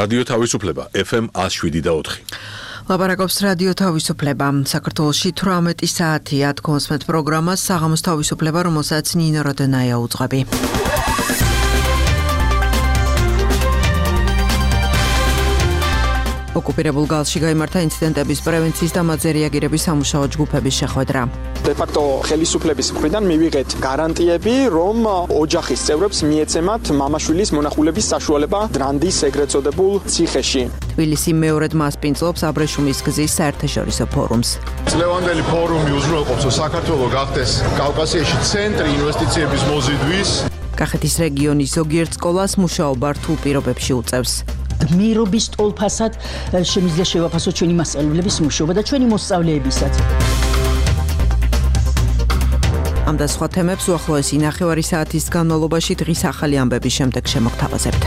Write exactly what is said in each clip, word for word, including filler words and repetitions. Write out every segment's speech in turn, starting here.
რადიო თავისუფლება ეფ ემ one oh seven და four. ლაპარაკობს რადიო თავისუფლება. საქართველოში თვრამეტი საათია თქოსმეთ პროგრამას საღამოს თავისუფლება, რომელსაც ნინო როდონაია უძღვები. ოკუპირებულ გალში გაიმართა ინციდენტების პრევენციის და მათზე რეაგირების სამუშაო ჯგუფების შეხვედრა. De facto ხელისუფლების მხრიდან მივიღეთ გარანტიები, რომ ოჯახის წევრებს მიეცემათ მამაშვილის მონახულების საშუალება დრანდის ეგრეთ წოდებულ ციხეში. თბილისი მეორედ მასპინძლობს აბრეშუმის გზის საერთაშორისო ფორუმს. წლევანდელი ფორუმი უზრუნველყოფს, რომ საქართველო გახდეს კავკასიაში ცენტრი ინვესტიციების მოზიდვის. კახეთის რეგიონის ზოგიერთ სკოლას მუშაობა რთულ პირობებში უწევს. მიერობის ტოლფასად შემიძლია შევაფასოთ ჩვენი მასწავლებლების მუშაობა და ჩვენი მოსწავლეებისაც. ამ და სხვა თემებს უახლოესი ნახევარი საათის განმავლობაში დღის ახალი ამბების შემდეგ შემოგთავაზებთ.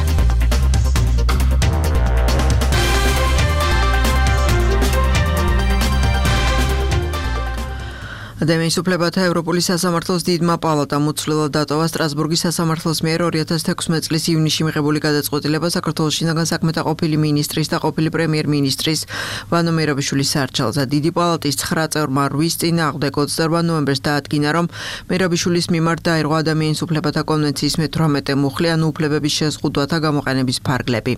ადამიანის უფლებათა ევროპული სასამართლოს დიდმა პალატამ უცვლელად დატოვა სტრასბურგის სასამართლოს მიერ ორი ათას თექვსმეტ წლის ივნისში მიღებული გადაწყვეტილება საქართველოს შინაგან საქმეთა ყოფილი მინისტრის და ყოფილი პრემიერ-მინისტრის ვანო მერაბიშვილის სარჩელზე. დიდი პალატის ცხრა წევრმა რვის წინააღმდეგ ოცდაორმა ნოემბერს დაადგინა, რომ მერაბიშვილის მიმართ დაირღვა ადამიანის უფლებათა კონვენციის მეთვრამეტე მუხლი, ანუ უფლებების შეზღუდვათა გამოყენების ფარგლები.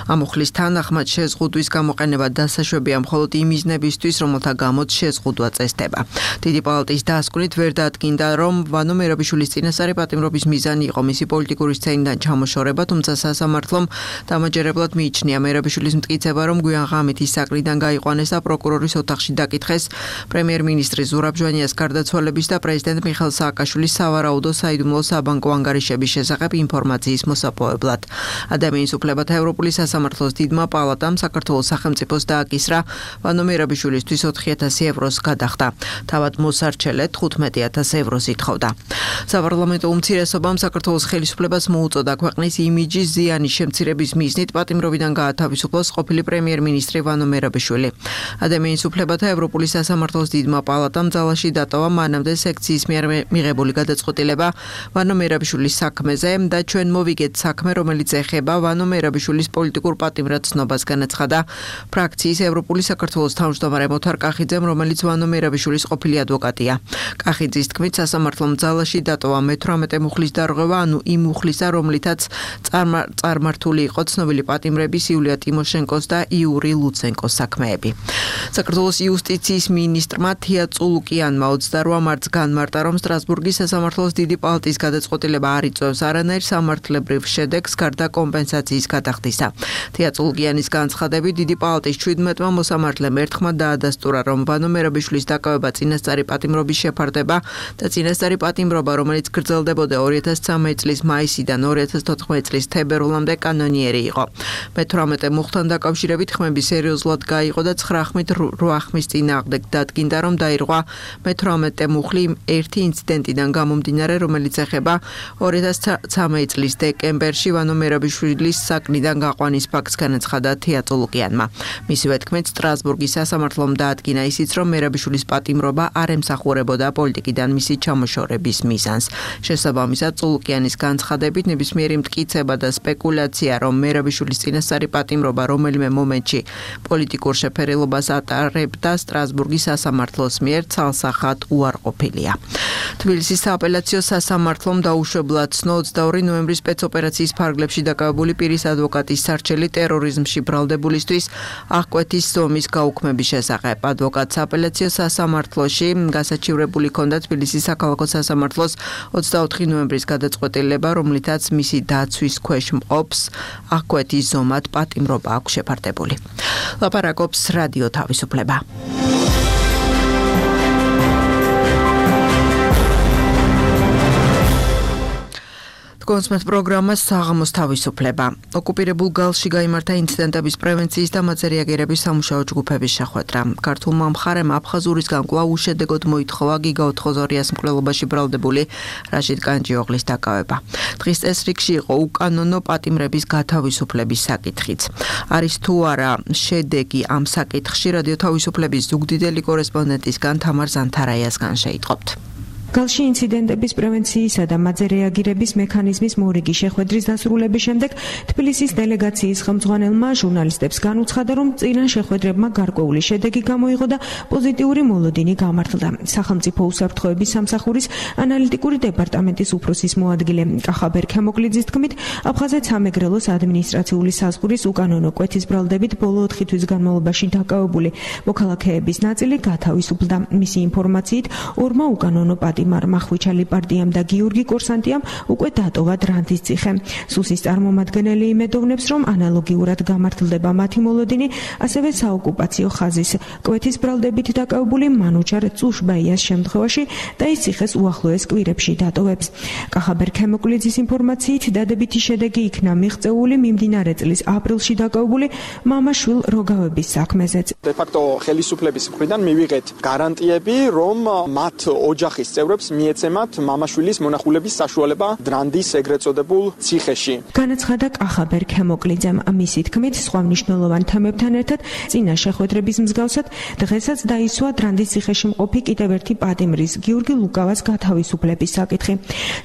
ამ მუხლის თანახმად შეზღუდვის გამოყენება დასაშვებია მხოლოდ იმ მიზნებისთვის, რომელთა გამოც შეზღუდვა წესდება. დიდი პალატის დასკვნით ვერ დაადგინდა, რომ ვანო მერაბიშვილის წინასწარი პატიმრობის მიზანი იყო მისი პოლიტიკური სცენიდან ჩამოშორება, თუმცა სასამართლომ დამაჯერებლად მიიჩნია მერაბიშვილის მტკიცება, რომ გვიან ღამით ის საკრიდან გაიყვანეს და პროკურორის ოთახში დაკითხეს პრემიერ-მინისტრის ზურაბ ჟვანიას გარდაცვალების და პრეზიდენტ მიხეილ სააკაშვილის სავარაუდო საიდუმლო საბანკო ანგარიშების შესახებ ინფორმაციის მოსაპოვებლად. ადამიანის უფლებათა ევროპული სასამართლოს დიდმა პალატამ საქართველოს სახელმწიფოს დააკისრა ვანო მერაბიშვილისთვის ოთხი ათასი ევროს გადახდა. თავად მოსარჩელედ თხუთმეტი ათას ევროს ითხოვდა. საპარლამენტო უმცირესობამ საქართველოს ხელისუფლებას მოუწოდა ქვეყნის იმიჯის ზიანის შემცირების მიზნით პატიმრობიდან გაათავისუფლოს ყოფილი პრემიერ-მინისტრი ვანო მერაბიშვილი. ადამიანის უფლებათა ევროპული სასამართლოს დიდმა პალატამ ძალაში დატოვა მანამდე სექციის მიერ მიღებული გადაწყვეტილება ვანო მერაბიშვილის საქმეზე და ჩვენ მოვიგეთ საქმე, რომელიც ეხება ვანო მერაბიშვილის პოლიტიკურ პატიმრად ცნობას, განაცხადა ფრაქციის ევროპული საქართველოს თავმჯდომარე მოთარ კახიძემ, რომელიც ვანო მერაბიშვილის ყოფილი ადვოკატია. კახიძის თქმით, სასამართლომ ძალაში დატოვა მეთვრამეტე მუხლის დარღვევა, ანუ იმ მუხლისა, რომლითაც წარმართული იყო ცნობილი პატიმრების იულია ტიმოშენკოს და იური ლუცენკოს საქმეები. საქართველოს იუსტიციის მინისტრმა თია წულუკიანმა ოცდაორ მარტს განმარტა, რომ სტრასბურგის სასამართლოს დიდი პალატის გადაწყვეტილება არ იწვევს არანაირ სამართლებრივ შედეგს გარდა კომპენსაციის გადახდისა. თია წულუკიანის განცხადებით, დიდი პალატის შვიდმეტმა მოსამართლემ ერთხმად დაადასტურა, რომ ვანო მერაბიშვილის დაკავება წინასწარი პატიმრობის შეფარდება და წინასწარი პატიმრობა, რომელიც გრძელდებოდა ორი ათას ცხრამეტ წლის მაისიდან ორი ათას თოთხმეტ წლის თებერვლამდე კანონიერი იყო. მეთვრამეტე მუხლთან დაკავშირებით ხმები სერიოზულად გაიყო და ცხრა ხმით რვა ხმის წინააღმდეგ დადგინდა, რომ დაირღვა მეთვრამეტე მუხლი ერთი ინციდენტიდან გამომდინარე, რომელიც ეხება ორი ათას ცხრამეტ წლის დეკემბერში ვანო მერაბიშვილის საკნიდან გაყვანის ფაქტს, განაცხადა თია წულუკიანმა. მისივე თქმით, სტრასბურგის სასამართლომ დაადგინა ისიც, რომ მერაბიშვილის პატიმრობა არ ემსახურებოდა პოლიტიკიდან მისი ჩამოშორების მიზანს. შესაბამისად, წულუკიანის განცხადებით, ნებისმიერი მტკიცება და სპეკულაცია, რომ მერაბიშვილის წინასწარი პატიმრობა რომელიმე მომენტში პოლიტიკურ შეფერილობას ატარებდა სტრასბურგის სასამართლოს მიერ ცალსახად უარყოფილია. თბილისის სააპელაციო სასამართლომ დაუშვებლად ცნო ოცდაორი ნოემბრის სპეცოპერაციის ფარგლებში დაკავებული პირის ადვოკატის სარჩელი ტერორიზმში ბრალდებულისთვის აღკვეთის ზომის გაუქმების შესახებ. ადვოკატს სააპელაციო სასამართლოში გასაჩივრებული ჰქონდა თბილისის საქალაქო სასამართლოს ოცდაოთხი ნოემბრის გადაწყვეტილება, რომლითაც მისი დაცვის ქვეშ მყოფს აღკვეთის ზომად პატიმრობა აქვს შეფარდებული. ლაპარაკობს რადიო თავისუფლება. კონსმეთ პროგრამას საღამოს თავისუფლება. ოკუპირებულ გალში გაიმართა ინციდენტების პრევენციის და მათზე რეაგირების სამუშაო ჯგუფების შეხვედრა. ქართულმა მხარემ აფხაზურისგან კვლავ უშედეგოდ მოითხოვა გიგა ოთხოზორიას მკვლელობაში ბრალდებული რაშიდ კანჯიოღლის დაკავება. დღის წესრიგში იყო უკანონო პატიმრების გათავისუფლების საკითხიც. არის თუ არა შედეგი ამ საკითხში, რადიო თავისუფლების ზუგდიდელი კორესპონდენტისგან თამარ ზანთარაიასგან შეიტყობთ. გალში ინციდენტების პრევენციისა და მათზე რეაგირების მექანიზმის მორიგი შეხვედრის დასრულების შემდეგ თბილისის დელეგაციის ხელმძღვანელმა ჟურნალისტებს განუცხადა, რომ წინა შეხვედრებმა გარკვეული შედეგი გამოიღო და პოზიტიური მოლოდინი გამართლდა. სახელმწიფო უსაფრთხოების სამსახურის ანალიტიკური დეპარტამენტის უფროსის მოადგილე კახაბერ ქემოკლიძის თქმით, აფხაზეთ სამეგრელოს ადმინისტრაციული საზღვრის უკანონო კვეთის ბრალდებით ბოლო ოთხი თვის განმავლობაში დაკავებული მოქალაქეების ნაწილი გათავისუფლდა. მისი ინფორმაციით, ორმა უკანონო პატიმარმა ხვიჩალი პარტიამ და გიორგი კორსანტიამ უკვე დატოვა დრანდის ციხე. სუსის წარმომადგენელი იმედოვნებს, რომ ანალოგიურად გამართლდება მათი მოლოდინი, ასევე საოკუპაციო ხაზის კვეთის ბრალდებით დაკავებული მანუჩარ წუშბაიას შემთხვევაში და ის ციხეს უახლოეს კვირებში დატოვებს. კახაბერ ქემოკლიძის ინფორმაციით, დადებითი შედეგი იქნა მიღწეული მიმდინარე წლის აპრილში დაკავებული მამაშვილ როგავების საქმეზეც. De facto ხელისუფლების მხრიდან მივიღეთ გარანტიები, რომ მათ ოჯახის წევრებს მიეცემათ მამაშვილის მონახულების საშუალება დრანდის ეგრეთ წოდებულ ციხეში. განაცხადა კახაბერ ქემოკლიძემ. მისი თქმით, სხვა მნიშვნელოვან თემებთან ერთად წინა შეხვედრების მსგავსად დღესაც დაისვა დრანდის ციხეში მყოფი კიდევ ერთი პატიმრის გიორგი ლუკავას გათავისუფლების საკითხი.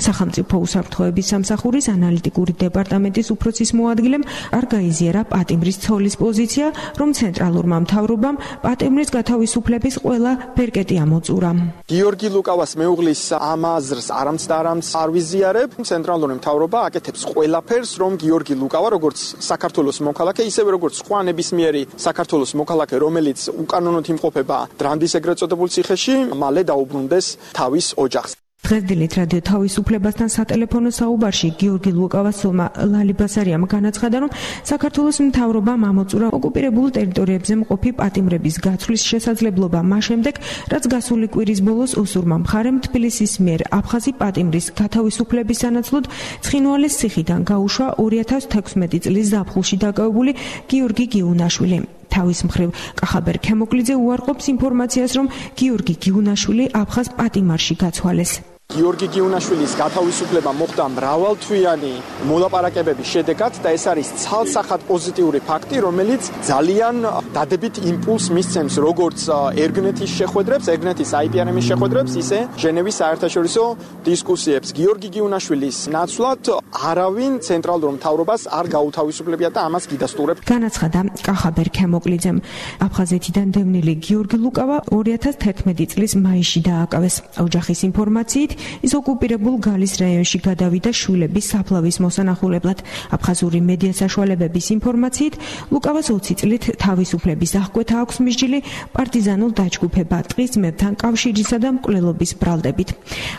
სახელმწიფო უსაფრთხოების სამსახურის ანალიტიკური დეპარტამენტის უფროსის მოადგილემ არ გაიზიარა პატიმრის ცოლის პოზიცია, რომ ცენტრალურმა მთავრობამ პატიმრის გათავისუფლების ყველა ბერკეტი ამოწურა. გიორგი ლუკავას მეუღლის ამ აზრს არამც და არამც არ ვიზიარებ. ცენტრალური მთავრობა აკეთებს ყველაფერს, რომ გიორგი ლუკავა, როგორც საქართველოს მოქალაქე, ისევე როგორც სხვა ნებისმიერი საქართველოს მოქალაქე, რომელიც უკანონოდ იმყოფება დრანდის ეგრეთ წოდებულ ციხეში, მალე დაუბრუნდეს თავის ოჯახს. დღესდილით რადიო თავისუფლებასთან სატელეფონო საუბარში გიორგი ლუკავასოვმა ლალი ბასარიამ განაცხადა, რომ საქართველოს მთავრობამ ამოწურა ოკუპირებულ ტერიტორიებზე მყოფი პატიმრების გაცვლის შესაძლებლობა მას შემდეგ, რაც გასული კვირის ბოლოს უსურმა მხარემ თბილისის მიერ აფხაზი პატიმრის გათავისუფლების სანაცვლოდ ცხინვალის ციხიდან გაუშვა ორი ათას თექვსმეტი წლის ზაფხულში დაკავებული გიორგი გიუნაშვილი. თავის მხრივ კახაბერ ქემოკლიძე უარყოფს ინფორმაციას, რომ გიორგი გიუნაშვილი აფხაზ პატიმარში გაცვალეს. გიორგი გიუნაშვილის გათავისუფლება მოხდა მრავალთვიანი მოლაპარაკებების შედეგად და ეს არის ცალსახად პოზიტიური ფაქტი, რომელიც ძალიან დადებით იმპულსს მისცემს როგორც ერგნეთის შეხვედრებს, ერგნეთის აი პი არ ემის შეხვედრებს, ისე ჟენევის საერთაშორისო დისკუსიებს. გიორგი გიუნაშვილის ნაცვლად არავინ ცენტრალურ მთავრობას არ გაუთავისუფლებია და ამას გიდასტურებ. განაცხადა კახაბერ ქემოკლიძემ. აფხაზეთიდან დევნილი გიორგი ლუკავა ორი ათას თერთმეტი წლის მაისში დააკავეს. ოჯახის ინფორმაციით ის ოკუპირებულ გალის რაიონში გადავიდა შვილების საფლავის მოსანახულებლად. აფხაზური მედია საშუალებების ინფორმაციით, ლუკავას ოცი წლით თავისუფლების აღკვეთა აქვს მსჯილი პარტიზანულ დაჯგუფება ტყის ძმებთან კავშირისა და მკვლელობის ბრალდებით.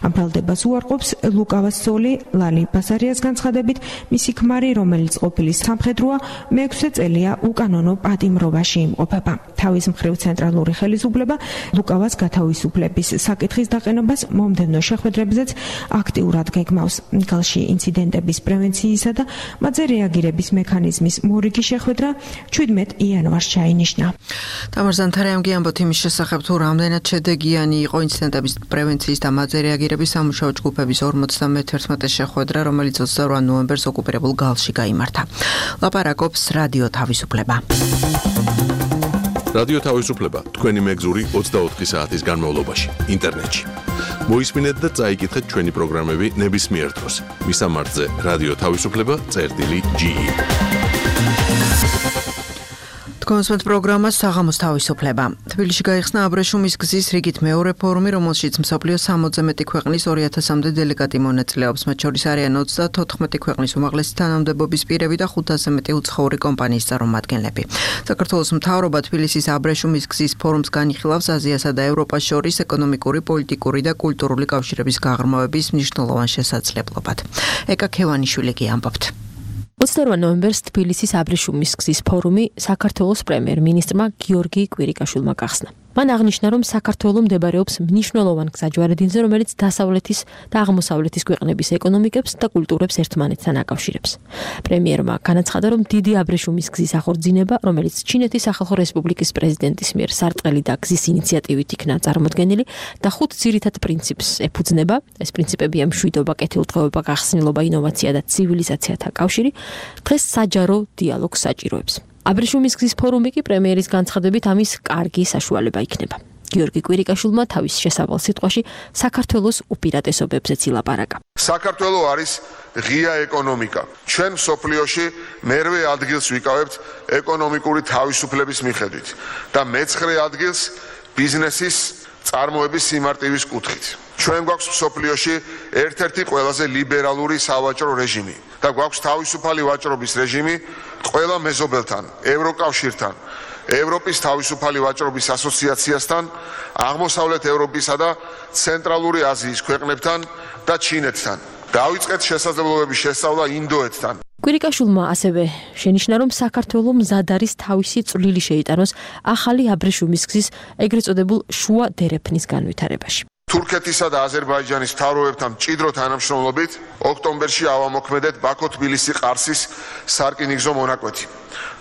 ამ ბრალდებას უარყოფს ლუკავას ცოლი ლალი ბასარიას განცხადებით, მისი ქმარი, რომელიც ყოფილი სამხედროა, მეექვსე წელია უკანონო პატიმრობაში იმყოფება. თავის მხრივ ცენტრალური ხელისუფლება ლუკავას გათავისუფლების საკითხის დაყენებას მომდევნო შეხვედრებზეც აქტიურად გეგმავს. გალში ინციდენტების პრევენციისა და მათზე რეაგირების მექანიზმის მორიგი შეხვედრა შვიდმეტ იანვარს ჩაინიშნა. თამარ ზანთარიამ გიამბოთ იმის შესახებ, თუ რამდენად შედეგიანი იყო ინციდენტების პრევენციის და მათზე რეაგირების სამუშაო ჯგუფების ორმოცდამეთერთმეტე შეხვედრა, რომელიც ოცდაორ ნოემბერს ოკუპირებულ გალში გაიმართა. ლაპარაკობს რადიო თავისუფლება. რადიო თავისუფლება თქვენი მეგზური ოცდაოთხი საათის განმავლობაში ინტერნეტში. მოისმინეთ და წაიკითხეთ ჩვენი პროგრამები ნებისმიერ დროს. მისამართზე რადიო თავისუფლება წერტილი ჯი ი. კონსვენტ პროგრამა საღამოს თავისუფლება. თბილისში გაიხსნა აბრეშუმის გზის რიგით მეორე ფორუმი, რომელშიც მსოფლიოს სამოცზე მეტი ქვეყნის ორი ათასამდე დელეგატი მონაწილეობს. მათ შორის არიან ოცდათოთხმეტი ქვეყნის უმაღლესი თანამდებობის პირები და ხუთასზე მეტი უცხოური კომპანიის წარმომადგენლები. საქართველოს მთავრობა თბილისის აბრეშუმის გზის ფორუმს განიხილავს აზიასა და ევროპას შორის ეკონომიკური, პოლიტიკური და კულტურული კავშირების გაღრმავების მნიშვნელოვან შესაძლებლობად. ეკა ქევანიშვილი გიამბობთ. ოცდაორ ნოემბერს თბილისის აბრეშუმის გზის ფორუმი საქართველოს პრემიერ-მინისტრმა გიორგი კვირიკაშვილმა გახსნა. მან აღნიშნა, რომ საქართველო მდებარეობს მნიშვნელოვან გზაჯვარედინზე, რომელიც დასავლეთის და აღმოსავლეთის ქვეყნების ეკონომიკებს და კულტურებს ერთმანეთთან აკავშირებს. პრემიერმა განაცხადა, რომ დიდი აბრეშუმის გზის ახორციელება, რომელიც ჩინეთის სახალხო რესპუბლიკის პრეზიდენტის მიერ სარტყელი და გზის ინიციატივით იქნა წარმოდგენილი და ხუთ ძირითად პრინციპს ეფუძნება. ეს პრინციპებია მშვიდობა, კეთილდღეობა, გახსნილობა, ინოვაცია და ცივილიზაციათა კავშირი. დღეს საჯარო დიალოგს საჭიროებს. აბრეშუმის გზის ფორუმი კი პრემიერის განცხადებით ამის კარგი საშუალება იქნება. გიორგი კვირიკაშვილმა თავის შესავალ სიტყვაში საქართველოს უპირატესობებზეც ილაპარაკა. საქართველო არის ღია ეკონომიკა. ჩვენ მსოფლიოში მერვე ადგილს ვიკავებთ ეკონომიკური თავისუფლების მიხედვით და მეცხრე ადგილს ბიზნესის წარმოების სიმარტივის კუთხით. ჩვენ გვაქვს მსოფლიოში ერთ-ერთი ყველაზე ლიბერალური სავაჭრო რეჟიმი და გვაქვს თავისუფალი ვაჭრობის რეჟიმი ყველა მეზობელთან, ევროკავშირთან, ევროპის თავისუფალი ვაჭრობის ასოციაციასთან, აღმოსავლეთ ევროპისა და ცენტრალური აზიის ქვეყნებთან და ჩინეთთან. დავიწყეთ შესაძლებლობების შესწავლა ინდოეთთან. კვირიკაშვილმა ასევე შენიშნა, რომ საქართველო მზად არის თავისი წვლილი შეიტანოს ახალი აბრეშუმის გზის ეგრეთ წოდებულ შუა დერეფნის განვითარებაში. თურქეთისა და აზერბაიჯანის მთავრობებთან მჭიდრო თანამშრომლობით ოქტომბერში ავამოქმედეთ ბაქო-თბილისი-ყარსის სარკინიგზო მონაკვეთი,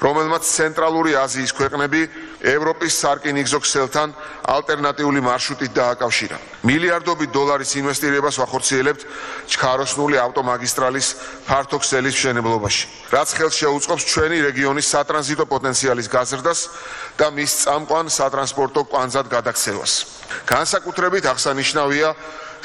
რომელმაც ცენტრალური აზიის ქვეყნები ევროპის სარკინიგზო ქსელთან ალტერნატიული მარშრუტით დააკავშირა. მილიარდობით დოლარის ინვესტირებას ვახორციელებთ ჩქაროსნული ავტომაგისტრალის ფართო ქსელის მშენებლობაში, რაც ხელს შეუწყობს ჩვენი რეგიონის სატრანზიტო პოტენციალის გაზრდას და მის წამყვან სატრანსპორტო კვანძად გადაქცევას. განსაკუთრებით აღსანიშნავია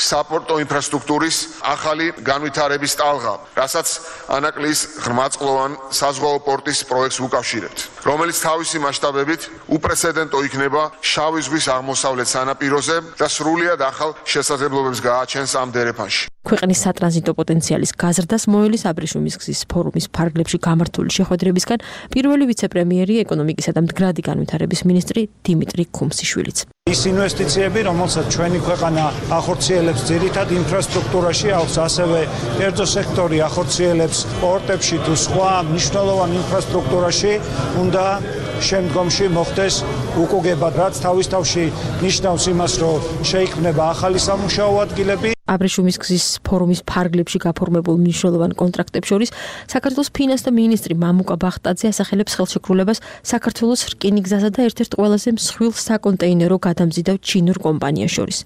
საპორტო ინფრასტრუქტურის ახალი განვითარების ტალღა, რასაც ანაკლიის ღრმაწყლოვან საზღვაო პორტის პროექტს ვუკავშირებთ, რომელიც თავისი მასშტაბებით უპრეცედენტო იქნება შავი ზღვის აღმოსავლეთ სანაპიროზე და სრულიად ახალ შესაძლებლობებს გააჩენს ამ დერეფანში. ქვეყნის სატრანზიტო პოტენციალის გაზრდას მოელის აბრეშუმის გზის ფორუმის ფარგლებში გამართული შეხვედრებისგან პირველი ვიცე-პრემიერი ეკონომიკისა და მდგრადი განვითარების მინისტრი დიმიტრი ქუმსიშვილიც. ის ინვესტიციები, რომელსაც ჩვენი ქვეყანა ახორციელებს ძირითად ინფრასტრუქტურაში, აქვს ასევე კერძო სექტორი ახორციელებს პორტებში თუ სხვა მნიშვნელოვან ინფრასტრუქტურაში, უნდა შემდგომში მოხდეს უკუგებად, რაც თავის თავში ნიშნავს იმას, რომ შეიქმნება ახალი სამუშაო ადგილები. აბრეშუმის გზის ფორუმის ფარგლებში გაფორმებულ მნიშვნელოვან კონტრაქტებს შორის საქართველოს ფინანსთა მინისტრი მამუკა ბახტაძე ასახელებს ხელშეკრულებას საქართველოს რკინიგზასა და ერთ-ერთ ყველაზე მსხვილ საკონტეინერო გადამზიდავ ჩინურ კომპანიას შორის.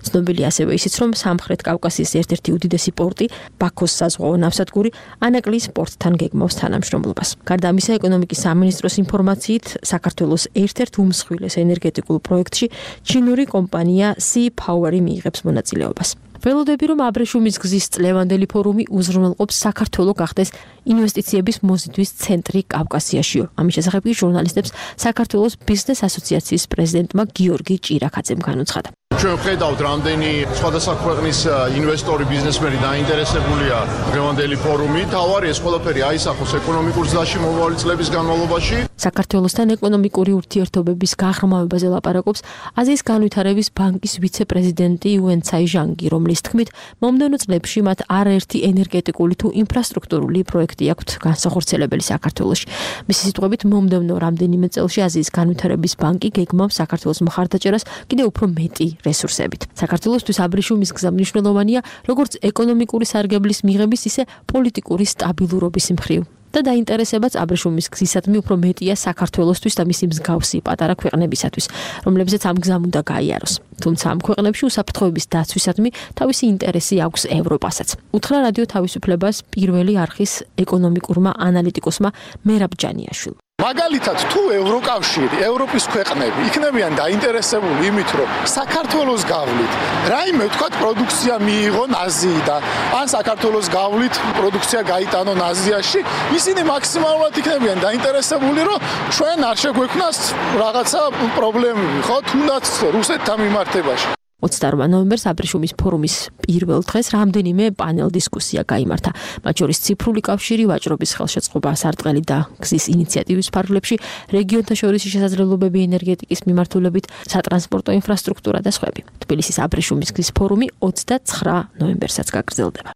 ცნობილია ასევე ისიც, რომ სამხრეთ კავკასიის ერთ-ერთი უდიდესი პორტი, ბაქოს საზღვაო ნავსადგური, ანაკლიის პორტთან გეგმავს თანამშრომლობას. გარდა ამისა, ეკონომიკის სამინისტროს ინფორმაციით, საქართველოს ერთ-ერთ უმსხვილეს ენერგეტიკულ პროექტში ჩინური კომპანია Sea Power მიიღებს მონაწილეობას. ველოდები, რომ აბრეშუმის გზის წლევანდელი ფორუმი უზრუნველყოფს საქართველო გახდეს ინვესტიციების მოზიდვის ცენტრი კავკასიაშიო. ამის შესახებ ჟურნალისტებს საქართველოს ბიზნეს ასოციაციის პრეზიდენტმა გიორგი ჭირაქაძემ განუცხადა. ჩვენ ვხედავთ, რამდენი სხვადასხვა ქვეყნის ინვესტორი, ბიზნესმენი დაინტერესებულია დღევანდელი ფორუმით. თავარი ეს ყველაფერი აისახოს ეკონომიკურ გზაში მომავალი წლების განმავლობაში. საქართველოსთან ეკონომიკური ურთიერთობების გაღრმავებაზე ლაპარაკობს აზიის განვითარების ბანკის ვიცე-პრეზიდენტი იუენ ცაიჟანგი, რომლის თქმით, მომდევნო წლებში მათ არაერთი ენერგეტიკული თუ ინფრასტრუქტურული პროექტი აქვთ განსახორციელებელი საქართველოში. მისი სიტყვებით, მომდევნო რამდენიმე წელში აზიის განვითარების ბანკი გეგმავს საქართველოს მხარდაჭერას კიდევ უფრო მეტი რესურსებით. საქართველოსთვის აბრეშუმის გზა მნიშვნელოვანია როგორც ეკონომიკური სარგებლის მიღების, ისე პოლიტიკური სტაბილურობის მხრივ. და დაინტერესებაც აბრეშუმის გზისადმი უფრო მეტია საქართველოსთვის და მისი მსგავსი პატარა ქვეყნებისათვის, რომლებზეც ამ გზამ უნდა გაიაროს. თუმცა ამ ქვეყნებში უსაფრთხოების დაცვისადმი თავისი ინტერესი აქვს ევროპასაც. უთხრა რადიო თავისუფლებას პირველი არხის ეკონომიკურმა ანალიტიკოსმა მერაბ ჯანიაშვილმა. მაგალითად, თუ ევროკავშირი, ევროპის ქვეყნები იქნებიან დაინტერესებული იმით, რომ საქართველოს გავლით, რაიმე ვთქვათ, პროდუქცია მიიღონ აზიიდან, ან საქართველოს გავლით პროდუქცია გაიტანონ აზიაში, ისინი მაქსიმალურად იქნებიან დაინტერესებული, რომ ჩვენ არ შეგვექმნას რაღაცა პრობლემები, ხო, თუნდაც რუსეთთან მიმართებაში. ოცდაორ ნოემბერს აბრეშუმის ფორუმის პირველ დღეს რამდენიმე პანელ დისკუსია გაიმართა. მათ შორის ციფრული კავშირი, ვაჭრობის ხელშეწყობა, სარტყელი და გზის ინიციატივის ფარგლებში, რეგიონთა შორისი შესაძლებლობები ენერგეტიკის მიმართულებით, სატრანსპორტო ინფრასტრუქტურა და სხვები. თბილისის აბრეშუმის გზის ფორუმი ოცდაცხრა ნოემბერსაც გაგრძელდება.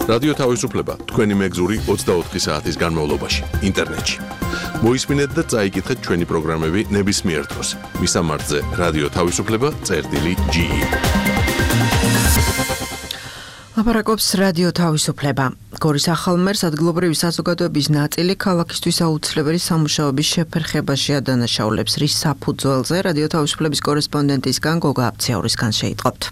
რადიო თავისუფლება თქვენი მეგზური ოცდაოთხი საათის განმავლობაში ინტერნეტში. მოისმინეთ და წაიკითხეთ ჩვენი პროგრამები ნებისმიერ დროს. მისამართზე რადიო თავისუფლება წერტილი ჯი ი. ლაპარაკობს რადიო თავისუფლება. გორის ახალმერს ადგილობრივი საზოგადოების ნაწილი ქალაქისთვის აუცილებელი სამუშაოების შეფერხებაში ადანაშაულებს, რის საფუძველზე რადიო თავისუფლების კორესპონდენტისგან გოგა აფციაურისგან შეიტყობთ.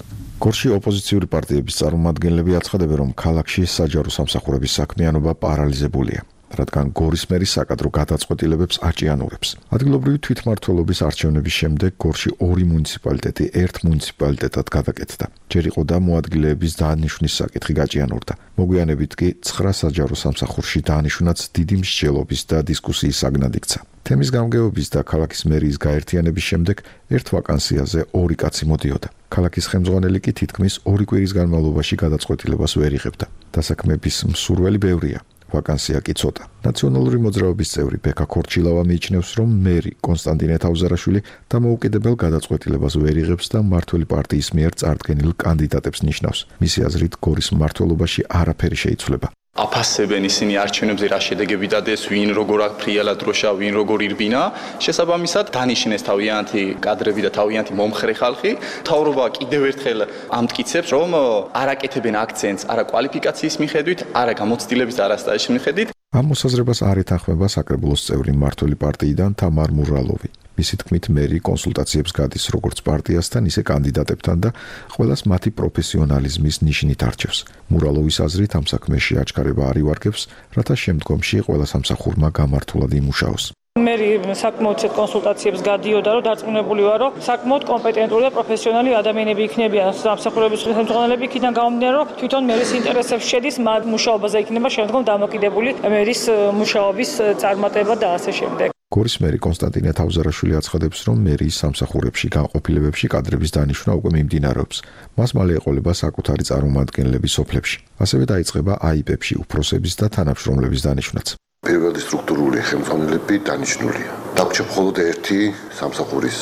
გორში ოპოზიციური პარტიების წარმომადგენლები აცხადებენ, რომ ქალაქში საჯარო სამსახურების საქმიანობა პარალიზებულია. რადგან გორის მერის საკადრო გადაწყვეტილებებს აჭიანურებს. ადგილობრივი თვითმმართველობის არჩევნების შემდეგ გორში ორი მუნიციპალიტეტი ერთ მუნიციპალიტეტად გადაკეთდა. ჯერ იყო და მოადგილეების დანიშვნის საკითხი გაჭიანურდა. მოგვიანებით კი ცხრა საჯარო სამსახურში დანიშვნაც დიდი მსჯელობის და დისკუსიის საგნად იქცა. თემის გამგეობის და ქალაქის მერიის გაერთიანების შემდეგ ერთ ვაკანსიაზე ორი კაცი მოდიოდა. ქალაქის ხელმძღვანელი კი თითქმის ორი კვირის განმავლობაში გადაწყვეტილებას ვერ იღებდა. დასაქმების მსურველი ბევრია. ვაკანსია კი ცოტა. ნაციონალური მოძრაობის წევრი ბექა ქორჩილავა მიიჩნევს, რომ მერი კონსტანტინე თავზარაშვილი დამოუკიდებელ გადაწყვეტილებას ვერ იღებს და მმართველი პარტიის მიერ წარდგენილ კანდიდატებს ნიშნავს. მისი აზრით, გორის მმართველობაში არაფერი შეიცვლება. აფასებენ ისინი არჩევნებზე რა შედეგები დადეს, ვინ როგორ აფრიალა დროშა, ვინ როგორ ირბინა. შესაბამისად დანიშნეს თავიანთი კადრები და თავიანთი მომხრე ხალხი. მთავრობა კიდევ ერთხელ ამტკიცებს, რომ არ აკეთებენ აქცენტს არა კვალიფიკაციის მიხედვით, არა გამოცდილების და არა სტაჟის მიხედვით. ამ მოსაზრებას არ ეთანხმება საკრებულოს წევრი მმართველი პარტიიდან თამარ მურალოვი. მისი თქმით, მერი კონსულტაციებს გადის როგორც პარტიასთან, ისე კანდიდატებთან და ყველას მათი პროფესიონალიზმის ნიშნით არჩევს. მურალოვის აზრით, ამ საქმეში აჩქარება არ ივარგებს, რათა შემდგომში ყველა სამსახურმა გამართულად იმუშაოს. მერი საკმაოდ კონსულტაციებს გადიოდა, რომ დარწმუნებული ვარ, რომ საკმაოდ კომპეტენტური და პროფესიონალი ადამიანები იქნებიან სამსახურების ხელმძღვანელები, იქიდან გამომდინარე, რომ თვითონ მერის ინტერესებს შედის, მათ მუშაობაზე იქნება შემდგომ დამოკიდებული მერის მუშაობის წარმატება და ასე შემდეგ. გორის მერი კონსტანტინე თავზარაშვილი აცხადებს, რომ მერიის სამსახურებში განყოფილებებში კადრების დანიშვნა უკვე მიმდინარეობს. მას მალე ეყოლება საკუთარი წარმომადგენლების სოფლებში. ასევე დაიწყება აიპებში უფროსების და თანამშრომლების დანიშვნაც. პირველი სტრუქტურული ხელმძღვანელები დანიშნულია. დაგვრჩა მხოლოდ ერთი სამსახურის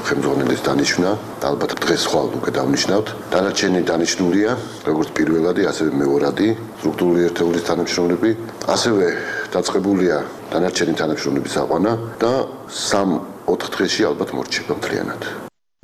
ხელმძღვანელის დანიშვნა, ალბათ დღეს ხვალ უკვე დავნიშნავთ. დანარჩენი დანიშნულია, როგორც პირველადი, ასევე მეორადი სტრუქტურული ერთეულის თანამშრომლები, ასევე დაწყებულია დანარჩენი თანამშრომლების აყვანა და სამ-ოთხ დღეში ალბათ მორჩება მთლიანად.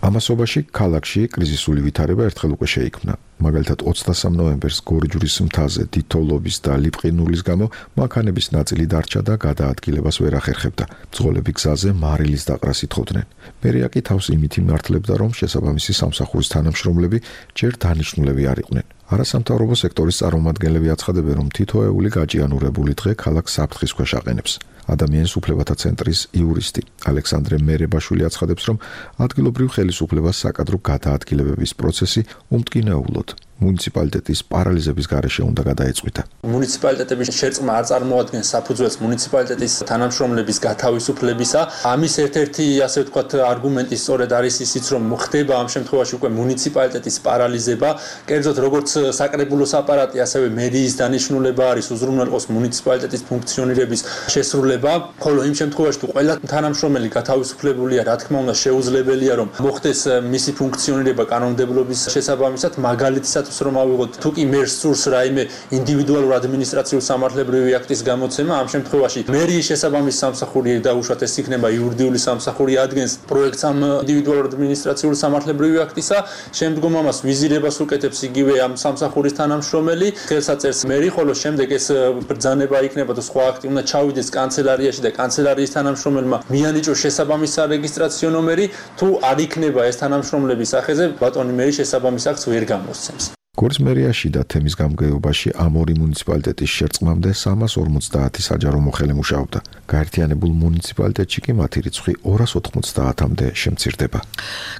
ამასობაში ქალაქში კრიზისული ვითარება ერთხელ უკვე შეიქმნა. მაგალითად ოცდასამ ნოემბერს გორჯურის მთაზე დიდთოვლობის და ლიპყინულის გამო მანქანების ნაწილი დარჩა და გადაადგილებას ვერ ახერხებდა. მძღოლები გზაზე მარილის დაყრას ითხოვდნენ. მერია კი თავს იმით იმართლებდა, რომ შესაბამისი სამსახურის თანამშრომლები ჯერ დანიშნულები არ იყვნენ. არასამთავრობო სექტორის წარმომადგენლები აცხადებენ, რომ თითოეული გაჭიანურებული დღე ქალაქს საფრთხის ქვეშ აყენებს. ადამიანის უფლებათა ცენტრის იურისტი ალექსანდრე მერებაშვილი აცხადებს, რომ ადგილობრივ ხელისუფლებას საკადრო გადაადგილებების პროცესი უმტკინეულოდ მუნიციპალიტეტის პარალიზების გარეშე უნდა გადაეწყვიტა. მუნიციპალიტეტების შერწყმა არ წარმოადგენს საფუძველს მუნიციპალიტეტის თანამშრომლების გათავისუფლებისა. ამის ერთ-ერთი, ასე ვთქვათ, არგუმენტი სწორედ არის ისიც, რომ ხდება ამ შემთხვევაში უკვე მუნიციპალიტეტის პარალიზება. კერძოდ, როგორც საკრებულოს აპარატი, ასევე მერიის დანიშნულება არის უზრუნველყოს მუნიციპალიტეტის ფუნქციონირების შესრულება, ხოლო იმ შემთხვევაში, თუ ყველა თანამშრომელი გათავისუფლებულია, რა თქმა უნდა, შეუძლებელია, რომ მოხდეს მისი ფუნქციონირება კანონმდებლობის შესაბამისად, მაგალითად რომ ავიღოთ თუ კი მერს სურს რაიმე ინდივიდუალურ ადმინისტრაციულ სამართლებრივი აქტის გამოცემა, ამ შემთხვევაში მერიის შესაბამისი სამსახური დაუშვათ, ეს იქნება იურიდიული სამსახური, ადგენს პროექტს ამ ინდივიდუალურ ადმინისტრაციულ სამართლებრივი აქტისა, შემდგომ ამას ვიზირებას უკეთებს იგივე ამ სამსახურის თანამშრომელი, ხელსაწერს მერი, ხოლო შემდეგ ეს ბრძანება იქნება და სხვა აქტი უნდა ჩავიდეს კანცელარიაში და კანცელარიის თანამშრომელმა მიანიჭოს შესაბამისი სარეგისტრაციო ნომერი, თუ არ იქნება ეს თანამშრომლების სახეზე, ბატონი მერი შესაბამის აქტს ვერ გამოსცემს. გორის მერიაში და თემის გამგეობაში ამ ორი მუნიციპალიტეტის შერწყმამდე სამას ორმოცდაათი საჯარო მოხელე მუშაობდა. გაერთიანებულ მუნიციპალიტეტში კი მათი რიცხვი ორას ოთხმოცდაათამდე შემცირდება.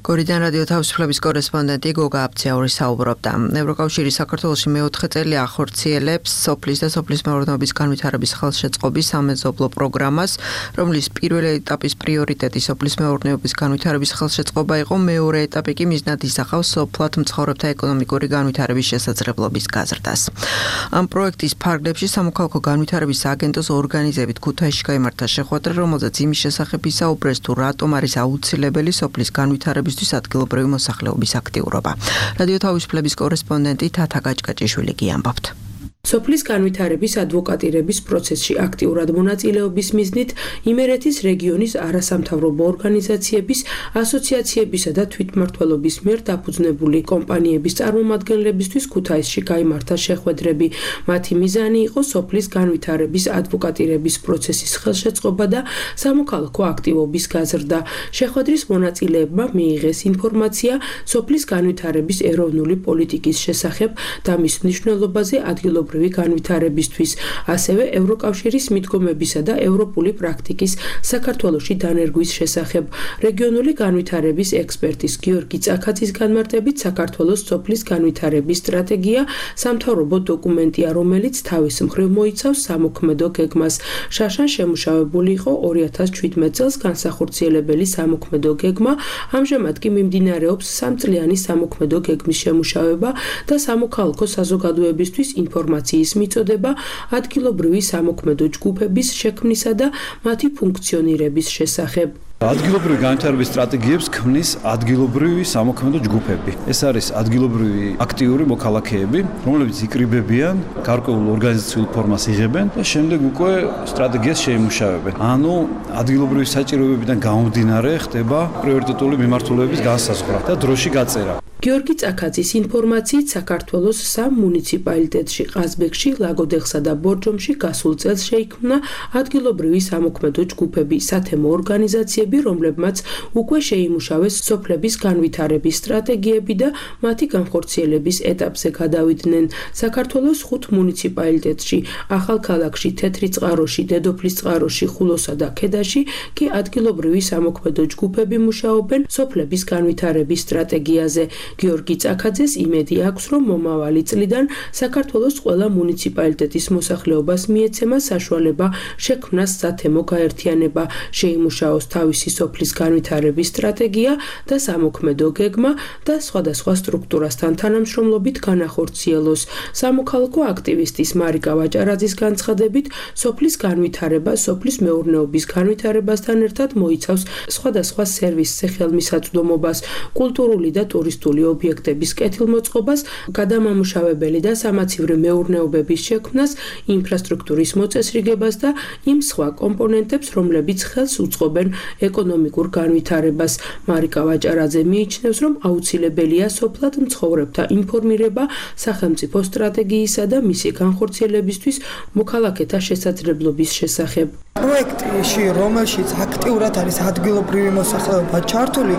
გორიდან რადიო თავისუფლების კორესპონდენტი გოგა აბციაური საუბრობდა. ევროკავშირი საქართველოში მეოთხე წელი ახორციელებს სოფლის და სოფლის მეურნეობის განვითარების ხელშეწყობის სამეზობლო პროგრამას, რომლის პირველი ეტაპის პრიორიტეტი სოფლის მეურნეობის განვითარების ხელშეწყობა იყო, მეორე ეტაპი კი მიზნად ისახავს სოფლად მცხოვრებთა ეკონომიკური განვითარების შესაძლებლობის გაზრდას. ამ პროექტის ფარგლებში სამოქალაქო განვითარების აგენტოს ორგანიზებით ქუთაისში გაიმართა შეხვედრა, რომელზეც იმის შესახებ ისაუბრეს, თუ რატომ არის აუცილებელი სოფლის განვითარებისთვის ადგილობრივი მოსახლეობის აქტიურობა. რადიო თავისუფლების კორესპონდენტი თათა გაჭკაჭიშვილი გიამბობთ. სოფლის განვითარების ადვოკატირების პროცესში აქტიურად მონაწილეობის მიზნით იმერეთის რეგიონის არასამთავრობო ორგანიზაციების, ასოციაციებისა და თვითმმართველობის მიერ დაფუძნებული კომპანიების წარმომადგენლებისთვის ქუთაისში გაიმართა შეხვედრები. მათი მიზანი იყო სოფლის განვითარების ადვოკატირების პროცესის ხელშეწყობა და სამოქალაქო აქტივობის გაზრდა. შეხვედრის მონაწილეებმა მიიღეს ინფორმაცია სოფლის განვითარების ეროვნული პოლიტიკის შესახებ და მის მნიშვნელობაზე ადგილობრივ ადგილობრივი განვითარებისთვის, ასევე ევროკავშირის მიდგომებისა და ევროპული პრაქტიკის საქართველოში დანერგვის შესახებ. რეგიონული განვითარების ექსპერტის გიორგი წაქაძის განმარტებით, საქართველოს სოფლის განვითარების სტრატეგია სამთავრობო დოკუმენტია, რომელიც თავის მხრივ მოიცავს სამოქმედო გეგმას. შაშან შემუშავებული იყო ორი ათას შვიდმეტ წელს განსახორციელებელი სამოქმედო გეგმა, ამჟამად კი მიმდინარეობს სამწლიანი სამოქმედო გეგმის შემუშავება და სამოქალაქო საზოგადოებისთვის ინფორმაციის მიწოდება ადგილობრივი სამოქმედო ჯგუფების შექმნისა და მათი ფუნქციონირების შესახებ. ადგილობრივი განვითარების სტრატეგიებს ქმნის ადგილობრივი სამოქმედო ჯგუფები. ეს არის ადგილობრივი აქტიური მოქალაქეები, რომლებიც იკრიბებიან, გარკვეულ ორგანიზაციულ ფორმას იღებენ და შემდეგ უკვე სტრატეგიას შეიმუშავებენ. ანუ ადგილობრივი საჭიროებებიდან გამომდინარე ხდება პრიორიტეტული მიმართულების განსაზღვრა და დროში გაწერა. გიორგი წაქაძის ინფორმაციით საქართველოს სამ მუნიციპალიტეტში, ყაზბეგში, ლაგოდეხსა და ბორჯომში გასულ წელს შეიქმნა ადგილობრივი სამოქმედო ჯგუფები, სათემო ორგანიზაციები, რომლებმაც უკვე შეიმუშავეს სოფლების განვითარების სტრატეგიები და მათი განხორციელების ეტაპზე გადავიდნენ. საქართველოს ხუთ მუნიციპალიტეტში, ახალქალაქში, თეთრიწყაროში, დედოფლისწყაროში, ხულოსა და ქედაში კი ადგილობრივი სამოქმედო ჯგუფები მუშაობენ სოფლების განვითარების სტრატეგიაზე. გიორგი წაქაძეს იმედი აქვს, რომ მომავალი წლიდან საქართველოს ყველა მუნიციპალიტეტის მოსახლეობას მიეცემა საშუალება შექმნას სათემო გაერთიანება, შეიმუშაოს თავისი სოფლის განვითარების სტრატეგია და სამოქმედო გეგმა და სხვადასხვა სტრუქტურასთან თანამშრომლობით განახორციელოს. სამოქალაქო აქტივისტის მარიკა ვაჭარაძის განცხადებით, სოფლის განვითარება სოფლის მეურნეობის განვითარებასთან ერთად მოიცავს სხვადასხვა სერვისზე ხელმისაწვდომობას, კულტურული და ტურისტული ობიექტების კეთილმოწყობას, გადამამუშავებელი და სამაცივრო მეურნეობების შექმნას, ინფრასტრუქტურის მოწესრიგებას და იმ სხვა კომპონენტებს, რომლებიც ხელს უწყობენ ეკონომიკურ განვითარებას. მარიკა ვაჭარაძე მიიჩნევს, რომ აუცილებელია სოფლად მცხოვრებთა ინფორმირება სახელმწიფო სტრატეგიისა და მისი განხორციელებისთვის მოქალაქეთა შესაძლებლობის შესახებ. პროექტში, რომელშიც აქტიურად არის ადგილობრივი მოსახლეობა ჩართული,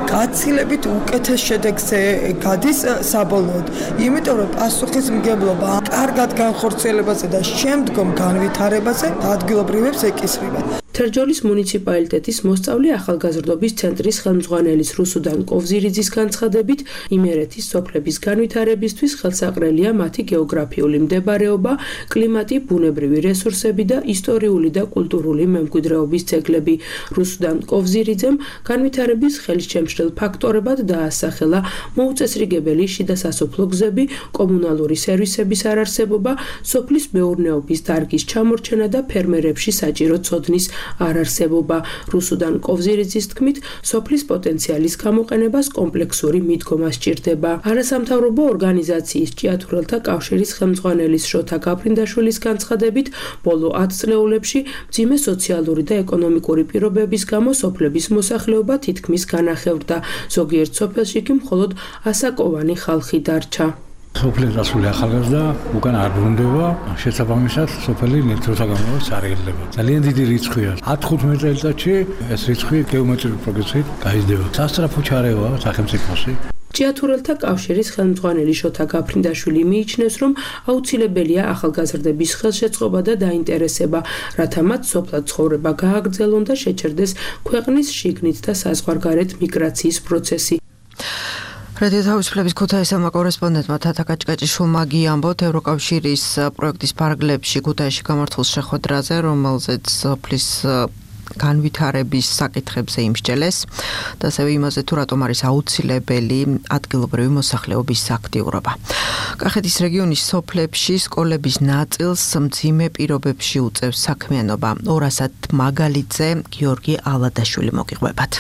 გაცილებით უკეთეს შედეგზე გადის საბოლოოდ. იმიტომ რომ პასუხისმგებლობა კარგად განხორციელებაზე და შემდგომ განვითარებაზე ადგილობრივებს ეკისრება. თერჯოლის მუნიციპალიტეტის მოსწავლე ახალგაზრდობის ცენტრის ხელმძღვანელის რუსუდან კოვზირიძის განცხადებით, იმერეთის სოფლების განვითარებისთვის ხელსაყრელია მათი გეოგრაფიული მდებარეობა, კლიმატი, ბუნებრივი რესურსები და ისტორიული და კულტურული მემკვიდრეობის ძეგლები. რუსუდან კოვზირიძემ განვითარების ხელისჩემშრელ ფაქტორებად დაასახელა მოუწესრიგებელი შიდა სასოფლო გზები, კომუნალური სერვისების არარსებობა, სოფლის მეურნეობის დარგის ჩამორჩენა და ფერმერებში საჭირო ცოდნის არარსებობა. რუსუდან კოვზირიძის თქმით, სოფლის პოტენციალის გამოყენებას კომპლექსური მიდგომა სჭირდება. არასამთავრობო ორგანიზაციის ჭიათურელთა კავშირის ხელმძღვანელის შოთა გაფრინდაშვილის განცხადებით, ბოლო ათ წლეულებში მძიმე სოციალური და ეკონომიკური პირობების გამო სოფლების მოსახლეობა თითქმის განახევრდა. ზოგიერთ სოფელში კი მხოლოდ ასაკოვანი ხალხი დარჩა. სოფლის დასული ახალგაზრდა უკან არ ბრუნდება, შესაბამისად სოფელი ნებთროთა გამოვარს არ ელდება. ძალიან დიდი რიცხვია. ათ თხუთმეტ წელიწადში ეს რიცხვი გეომეტრიული პროგრესით გაიზრდება. სასწრაფო ჩარევაა სახელმწიფოსი. ჭიათურელთა კავშირის ხელმძღვანელი შოთა გაფრინდაშვილი მიიჩნევს, რომ აუცილებელია ახალგაზრდების ხელშეწყობა და დაინტერესება, რათა მათ სოფლად ცხოვრება გააგრძელონ და შეჩერდეს ქვეყნის შიგნით და საზღვარგარეთ მიგრაციის პროცესი. რადიო თავისუფლების ქუთაისელმა კორესპონდენტმა თათა კაჭკაჭიშვილმა გიამბოთ ევროკავშირის პროექტის ფარგლებში ქუთაისში გამართულ შეხვედრაზე, რომელზეც სოფლის განვითარების საკითხებზე იმსჯელეს და ასევე იმაზე თუ რატომ არის აუცილებელი ადგილობრივი მოსახლეობის აქტიურობა. კახეთის რეგიონის სოფლებში სკოლების ნაწილს მძიმე პირობებში უწევს საქმიანობა. ორასად მაგალითზე გიორგი ალადაშვილი მოგიყვებათ.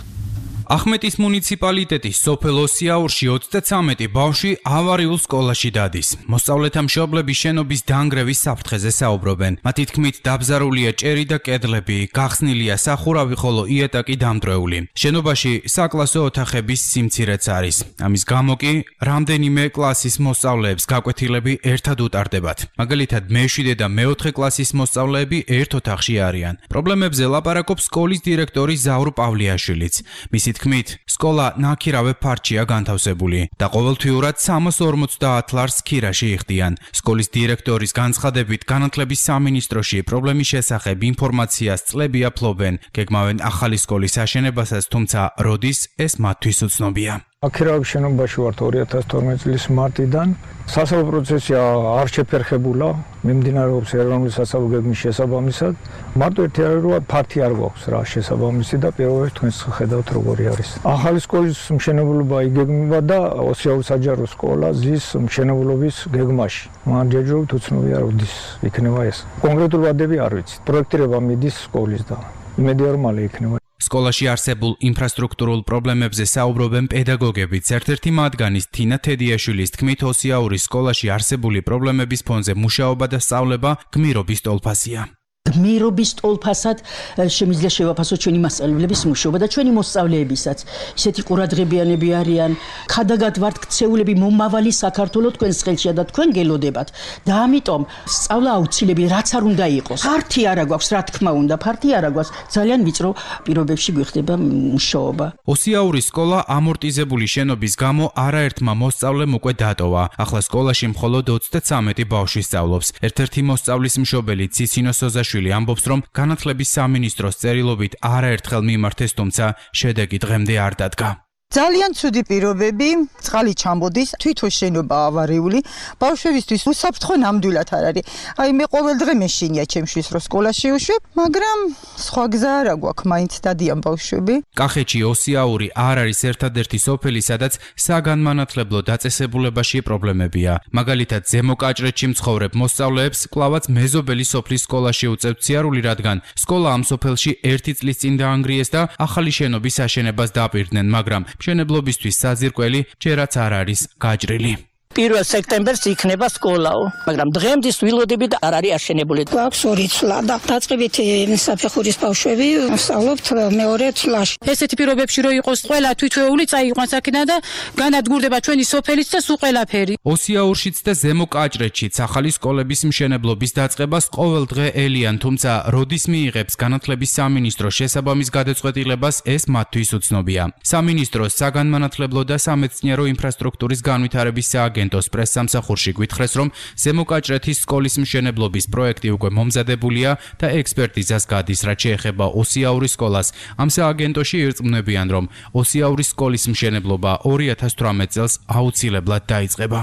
ახმეტის მუნიციპალიტეტის სოფელ ოსიაურში ოცდაცამეტი ბავშვი ავარიულ სკოლაში დადის. მოსწავლეთა მშობლები შენობის დანგრევის საფრთხეზე საუბრობენ. მათი თქმით, დაბზარულია ჭერი და კედლები, გახსნილია სახურავი, ხოლო იატაკი დამტვრეული. შენობაში საკლასო ოთახების სიმცირეც არის. ამის გამო კი რამდენიმე კლასის მოსწავლეებს გაკვეთილები ერთად უტარდებათ. მაგალითად, მეშვიდე და მეოთხე კლასის მოსწავლეები ერთ ოთახში არიან. პრობლემებზე ლაპარაკობს სკოლის დირექტორი ზაურ პავლიაშვილიც. მისი თქმით, სკოლა ნაქირავე ფარჩია განთავსებული და ყოველთვიურად სამას ორმოცდაათ ლარს ქირაში იხდიან. სკოლის დირექტორის განცხადებით, განათლების სამინისტროში პრობლემის შესახებ ინფორმაციას წლებია ფლობენ, გეგმავენ ახალი სკოლის აშენებასაც, თუმცა როდის ეს მათთვის უცნობია. აქირავების შენობაში ვართ ორი ათას თორმეტი წლის მარტიდან. სასწავლო პროცესი არ შეფერხებულა, მიმდინარეობს ეროვნული სასწავლო გეგმის შესაბამისად. მარტო ერთი არის, რომ ფართი არ გვაქვს რა შესაბამისი და პირველად თქვენს ხედავთ როგორი არის. ახალი სკოლის მშენებლობა იგეგმება და ოსიაური საჯარო სკოლა ზის მშენებლობის გეგმაში. მან ჯერჯერობით უცნობია როდის იქნება ეს. კონკრეტული ვადები არ ვიცით. პროექტირება მიდის სკოლის და იმედია რომ მალე იქნება. სკოლაში არსებულ ინფრასტრუქტურულ პრობლემებზე საუბრობენ პედაგოგებიც. ერთ-ერთი მათგანის თინა თედიაშვილის თქმით, ოსიაურის სკოლაში არსებული პრობლემების ფონზე მუშაობა და სწავლება გმირობის ტოლფასია. გმირობის ტოლფასად შემიძლია შევაფასოთ ჩვენი მასწავლებლების მუშაობა და ჩვენი მოსწავლეებისაც. ისეთი ყურადღებიანები არიან, ხადაგად ვართ ქცეულები მომავალი საქართველოს თქვენს ხელშია და თქვენ გელოდებათ. და ამიტომ სწავლა აუცილებელი, რაც არ უნდა იყოს. ფართი არა გვაქვს, რა თქმა უნდა, ფართი არა გვაქვს. ძალიან ვიწრო პირობებში გვიხდება მუშაობა. ოსიაურის სკოლა ამორტიზებული შენობის გამო არაერთმა მოსწავლემ უკვე დატოვა. ახლა სკოლაში მხოლოდ ოცდათვრამეტი ბავშვი სწავლობს. ერთ-ერთი მოსწავლის მშობელი ციცინო სოზაშვილი ამბობს, რომ განათლების სამინისტროს წერილობით არაერთხელ მიმართეს, თუმცა შედეგი დღემდე არ დადგა. ძალიან ცუდი პირობები, წყალი ჩამოდის, თვითონ შენობა ავარიული, ბავშვებისთვის უსაფრთხო ნამდვილად არ არის. აი მე ყოველ დღე მეშინია ჩემშვის რომ სკოლაში უშვებ, მაგრამ სხვა გზა არ აქვს, მაინც დადიან ბავშვები. კახეთში ოსიაური არ არის ერთადერთი სოფელი, სადაც საგანმანათლებლო დაწესებულებაში პრობლემებია. მაგალითად, ზემო კაჭრეთში მცხოვრებ მოსწავლეებს კვლავაც მეზობელი სოფლის სკოლაში უწევთ სიარული, რადგან სკოლა ამ სოფელში ერთი წლის წინ დაანგრიეს და ახალი შენობის აშენებას დაპირდნენ, მაგრამ მშენებლობისთვის საძირკველი ჯერაც არ არის გაჭრილი. პირველ სექტემბერს იქნება სკოლაო, მაგრამ დღემდე ვილოდები და არ არის აშენებული. გვაქვს ორი წლა და დაწყებითი საფეხურის ბავშვები სწავლობთ მეორე წლაში. ესეთი პირობებში რო იყოს ყველა თვითვეული წაიყვანს აქედან და განადგურდება ჩვენი სოფელიც და სულ ყველაფერი. ოსიაურშიც და ზემო კაჭრეთშიც ახალი სკოლების მშენებლობის დაწყებას ყოველ დღე ელიან, თუმცა როდის მიიღებს განათლების სამინისტრო შესაბამის გადაწყვეტილებას, ეს მათთვის უცნობია. სამინისტროს საგანმანათლებლო და სამეცნიერო ინფრასტრუქტურის განვითარების სააგენტო აგენტოს პრესსამსახურში გვითხრეს, რომ ზემო კაჭრეთის სკოლის მშენებლობის პროექტი უკვე მომზადებულია და ექსპერტიზას გადის, რაც შეეხება ოსიაურის სკოლას. ამ სააგენტოში ირწმუნებიან, რომ ოსიაურის სკოლის მშენებლობა ორი ათას თვრამეტ წელს აუცილებლად დაიწყება.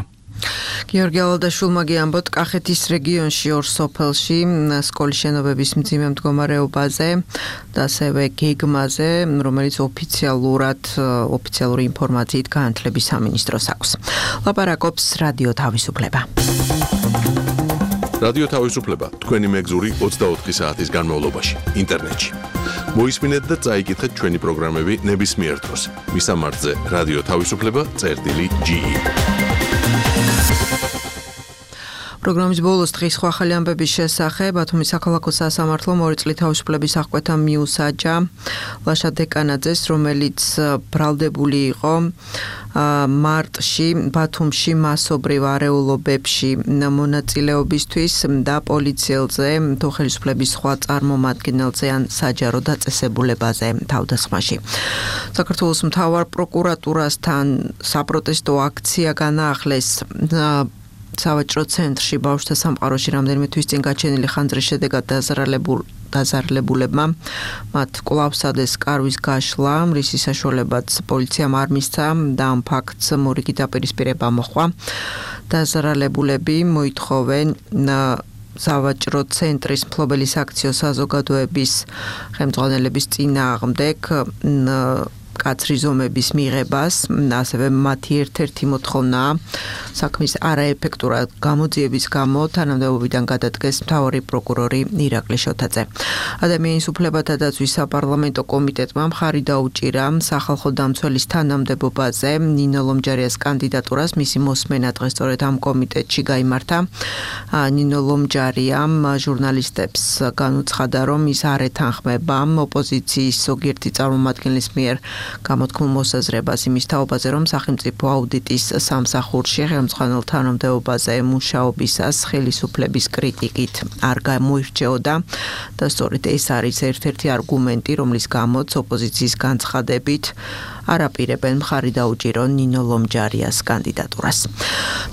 გიორგი ალადაშვილმა გიამბოთ კახეთის რეგიონში ორ სოფელში სკოლის შენობების მძიმე მდგომარეობაზე და ასევე გეგმაზე, რომელიც ოფიციალურად ოფიციალური ინფორმაციით განათლების სამინისტროს აქვს. ლაპარაკობს რადიო თავისუფლება. რადიო თავისუფლება თქვენი მეგზური ოცდაოთხი საათის განმავლობაში ინტერნეტში. მოისმინეთ და წაიკითხეთ ჩვენი პროგრამები ნებისმიერ დროს. მისამართზე რადიო თავისუფლება წერტილი ჯი. პროგრამის ბოლოს დღის სხვა ახალი ამბების შესახებ ბათუმის საქალაქო სასამართლომ ორი წლის თავისუფლების აღკვეთა მიუსაჯა ლაშა დეკანაძეს, რომელიც ბრალდებული იყო მარტში ბათუმში მასობრივ არეულობებში მონაწილეობისთვის და პოლიციელზე, თუ ხელისუფლების სხვა წარმომადგენელზე ან საჯარო დაწესებულებაზე თავდასხმაში. საქართველოს მთავარ პროკურატურასთან საპროტესტო აქცია განაახლეს სავაჭრო ცენტრში ბავშვთა სამყაროში რამდენიმე თვის წინ გაჩენილი ხანძრის შედეგად დაზარალებულ დაზარალებულებმა მათ კვლავ სადეს კარვის გაშლა, რისი საშუალებაც პოლიციამ არ მისცა და ამ ფაქტს მორიგი დაპირისპირება მოჰყვა. დაზარალებულები მოითხოვენ სავაჭრო ცენტრის მფლობელი საქციო საზოგადოების ხელმძღვანელების წინააღმდეგ კაცრი ზომების მიღებას, ასევე მათი ერთ-ერთი მოთხოვნაა საქმის არაეფექტურად გამოძიების გამო თანამდებობიდან გადადგეს მთავარი პროკურორი ირაკლი შოთაძე. ადამიანის უფლებათა დაცვის საპარლამენტო კომიტეტმა მხარი დაუჭირა სახალხო დამცველის თანამდებობაზე ნინო ლომჯარიას კანდიდატურას. მისი მოსმენა დღეს სწორედ ამ კომიტეტში გაიმართა. ნინო ლომჯარიამ ჟურნალისტებს განუცხადა, რომ ის არ ეთანხმება ოპოზიციის ზოგიერთი წარმომადგენლის მიერ გამოთქმულ მოსაზრებას იმის თაობაზე, რომ სახელმწიფო აუდიტის სამსახურში ხელისამწყანელ თანამდებობაზე მუშაობისას ხელისუფლების კრიტიკით არ გამოირჩეოდა და სწორედ ეს არის ერთ-ერთი არგუმენტი, რომლის გამოც ოპოზიციის განცხადებით არ აპირებენ მხარი დაუჭირონ ნინო ლომჯარიას კანდიდატურას.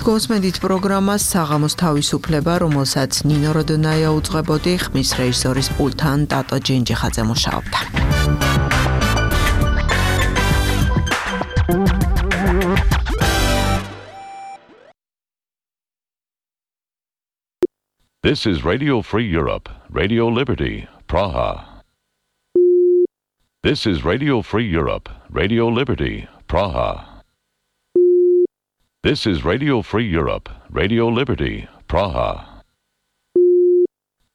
გოსმენდით პროგრამას საღამოს თავისუფლება, რომელსაც ნინო როდონაია უძღვებოდი, ხმის რეჟისორის პულტთან ტატო ჯენჯიხაძე მუშაობდა. This is Radio Free Europe, Radio Liberty, Praha. This is Radio Free Europe, Radio Liberty, Praha. This is Radio Free Europe, Radio Liberty, Praha.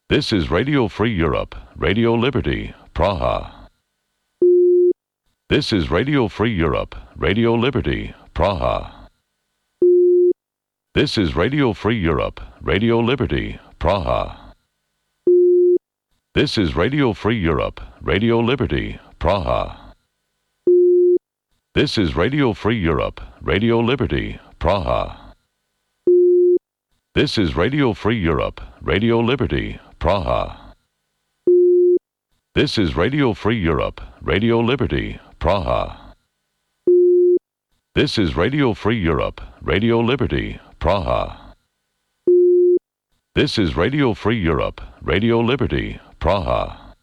This is Radio Free Europe, Radio Liberty, Praha. This is Radio Free Europe, Radio Liberty, Praha. This is Radio Free Europe, Radio Liberty, Praha. This is Radio Free Europe, Radio Liberty, Praha. This is Radio Free Europe, Radio Liberty, Praha. This is Radio Free Europe, Radio Liberty, Praha. This is Radio Free Europe, Radio Liberty, Praha. This is Radio Free Europe, Radio Liberty, Praha. This is Radio Free Europe, Radio Liberty, Praha.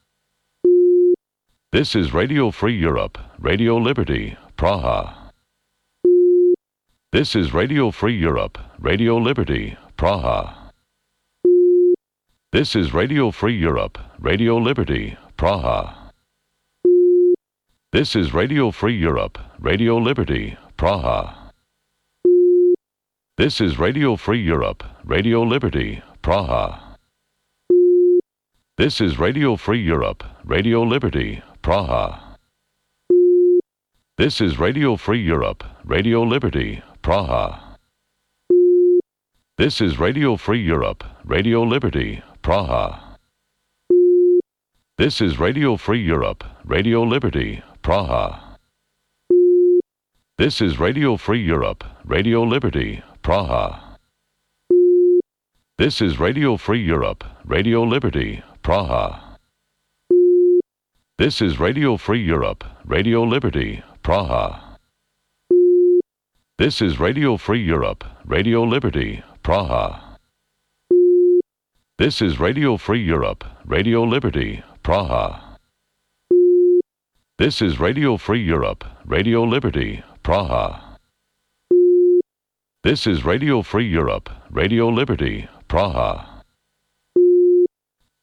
This is Radio Free Europe, Radio Liberty, Praha. This is Radio Free Europe, Radio Liberty, Praha. This is Radio Free Europe, Radio Liberty, Praha. This is Radio Free Europe, Radio Liberty, Praha. This is Radio Free Europe, Radio Liberty, Praha. This is Radio Free Europe, Radio Liberty, Praha. This is Radio Free Europe, Radio Liberty, Praha. This is Radio Free Europe, Radio Liberty, Praha. This is Radio Free Europe, Radio Liberty, Praha. This is Radio Free Europe, Radio Liberty, Praha. This is Radio Free Europe, Radio Liberty, Praha. This is Radio Free Europe, Radio Liberty, Praha. This is Radio Free Europe, Radio Liberty, Praha. This is Radio Free Europe, Radio Liberty, Praha. This is Radio Free Europe, Radio Liberty, Praha.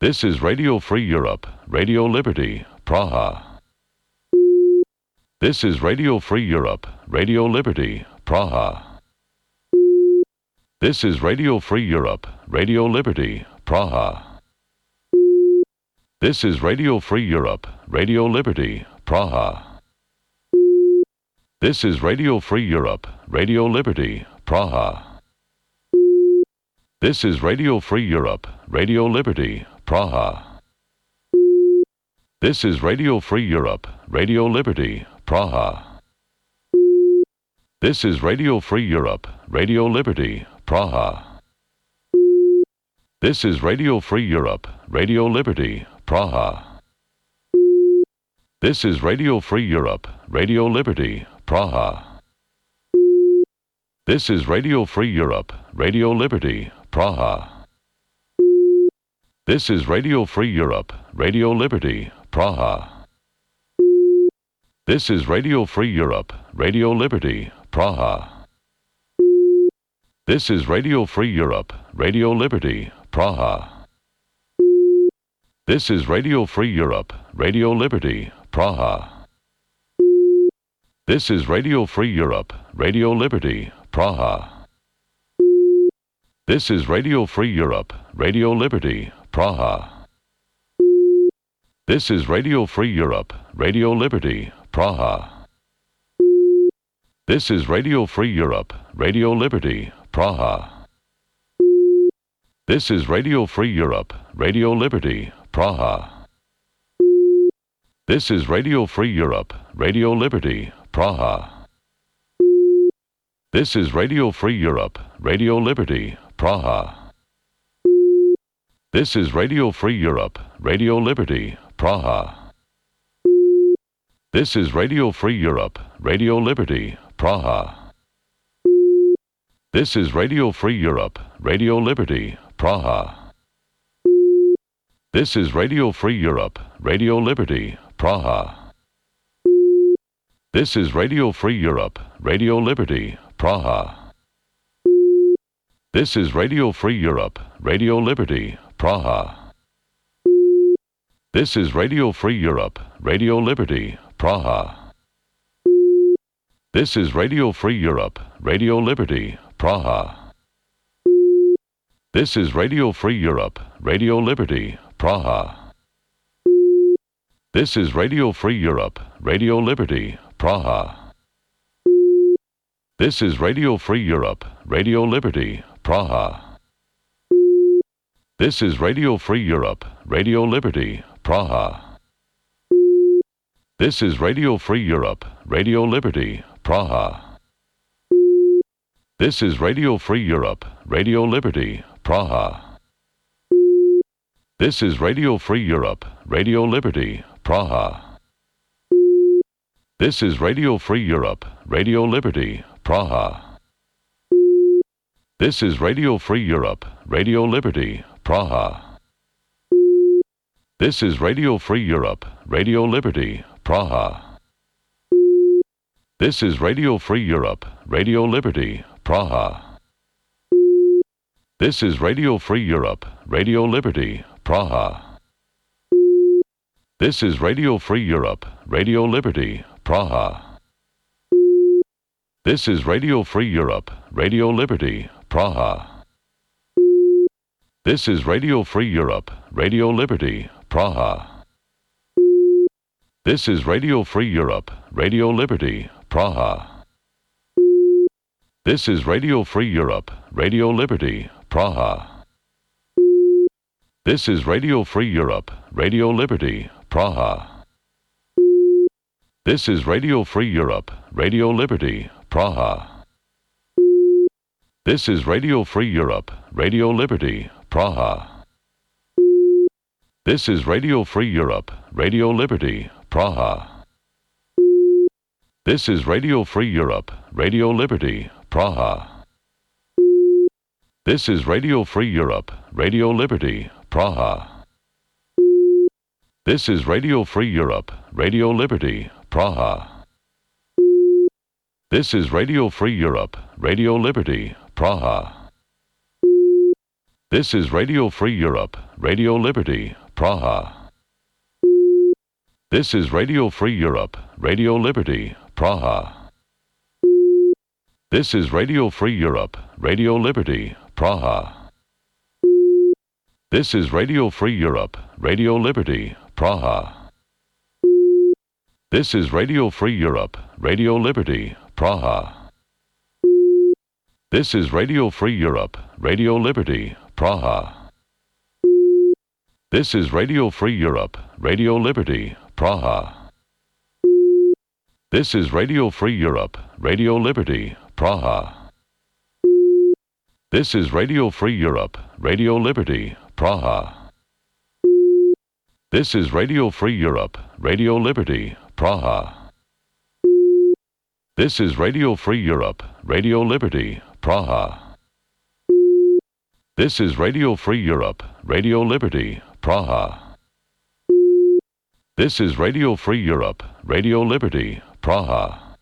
This is Radio Free Europe, Radio Liberty, Praha. This is Radio Free Europe, Radio Liberty, Praha. This is Radio Free Europe, Radio Liberty, Praha. This is Radio Free Europe, Radio Liberty, Praha. This is Radio Free Europe, Radio Liberty, Praha. This is Radio Free Europe, Radio Liberty, Praha. This is Radio Free Europe, Radio Liberty, Praha. This is Radio Free Europe, Radio Liberty, Praha. This is Radio Free Europe, Radio Liberty, Praha. This is Radio Free Europe, Radio Liberty, Praha. This is Radio Free Europe, Radio Liberty, Praha. This is Radio Free Europe, Radio Liberty, Praha. This is Radio Free Europe, Radio Liberty, Praha. This is Radio Free Europe, Radio Liberty, Praha. This is Radio Free Europe, Radio Liberty, Praha. This is Radio Free Europe, Radio Liberty, Praha. This is Radio Free Europe, Radio Liberty, Praha. This is Radio Free Europe, Radio Liberty, Praha. This is Radio Free Europe, Radio Liberty, Praha. This is Radio Free Europe, Radio Liberty, Praha. This is Radio Free Europe, Radio Liberty, Praha. This is Radio Free Europe, Radio Liberty, Praha. This is Radio Free Europe, Radio Liberty, Praha. This is Radio Free Europe, Radio Liberty, Praha. This is Radio Free Europe, Radio Liberty, Praha. This is Radio Free Europe, Radio Liberty, Praha. This is Radio Free Europe, Radio Liberty, Praha. This is Radio Free Europe, Radio Liberty, Praha. This is Radio Free Europe, Radio Liberty, Praha. This is Radio Free Europe, Radio Liberty, Praha. This is Radio Free Europe, Radio Liberty, Praha. This is Radio Free Europe, Radio Liberty, Praha. This is Radio Free Europe, Radio Liberty, Praha. This is Radio Free Europe, Radio Liberty, Praha. This is Radio Free Europe, Radio Liberty, Praha. This is Radio Free Europe, Radio Liberty, Praha. This is Radio Free Europe, Radio Liberty, Praha. This is Radio Free Europe, Radio Liberty, Praha. This is Radio Free Europe, Radio Liberty, Praha. This is Radio Free Europe, Radio Liberty, Praha. This is Radio Free Europe, Radio Liberty, Praha. This is Radio Free Europe, Radio Liberty, Praha. This is Radio Free Europe, Radio Liberty, Praha. This is Radio Free Europe, Radio Liberty, Praha. This is Radio Free Europe, Radio Liberty, Praha. This is Radio Free Europe, Radio Liberty, Praha. This is Radio Free Europe, Radio Liberty, Praha. This is Radio Free Europe, Radio Liberty, Praha. This is Radio Free Europe, Radio Liberty, Praha. This is Radio Free Europe, Radio Liberty, Praha. This is Radio Free Europe, Radio Liberty, Praha. This is Radio Free Europe, Radio Liberty, Praha. This is Radio Free Europe, Radio Liberty, Praha. This is Radio Free Europe, Radio Liberty, Praha. This is Radio Free Europe, Radio Liberty, Praha. This is Radio Free Europe, Radio Liberty, Praha. This is Radio Free Europe, Radio Liberty, Praha. This is Radio Free Europe, Radio Liberty, Praha. This is Radio Free Europe, Radio Liberty, Praha. This is Radio Free Europe, Radio Liberty, Praha. This is Radio Free Europe, Radio Liberty, Praha. This is Radio Free Europe, Radio Liberty, Praha. This is Radio Free Europe, Radio Liberty, Praha. This is Radio Free Europe, Radio Liberty, Praha. This is Radio Free Europe, Radio Liberty, Praha. This is Radio Free Europe, Radio Liberty, Praha. This is Radio Free Europe, Radio Liberty, Praha. This is Radio Free Europe, Radio Liberty, Praha. This is Radio Free Europe, Radio Liberty, Praha.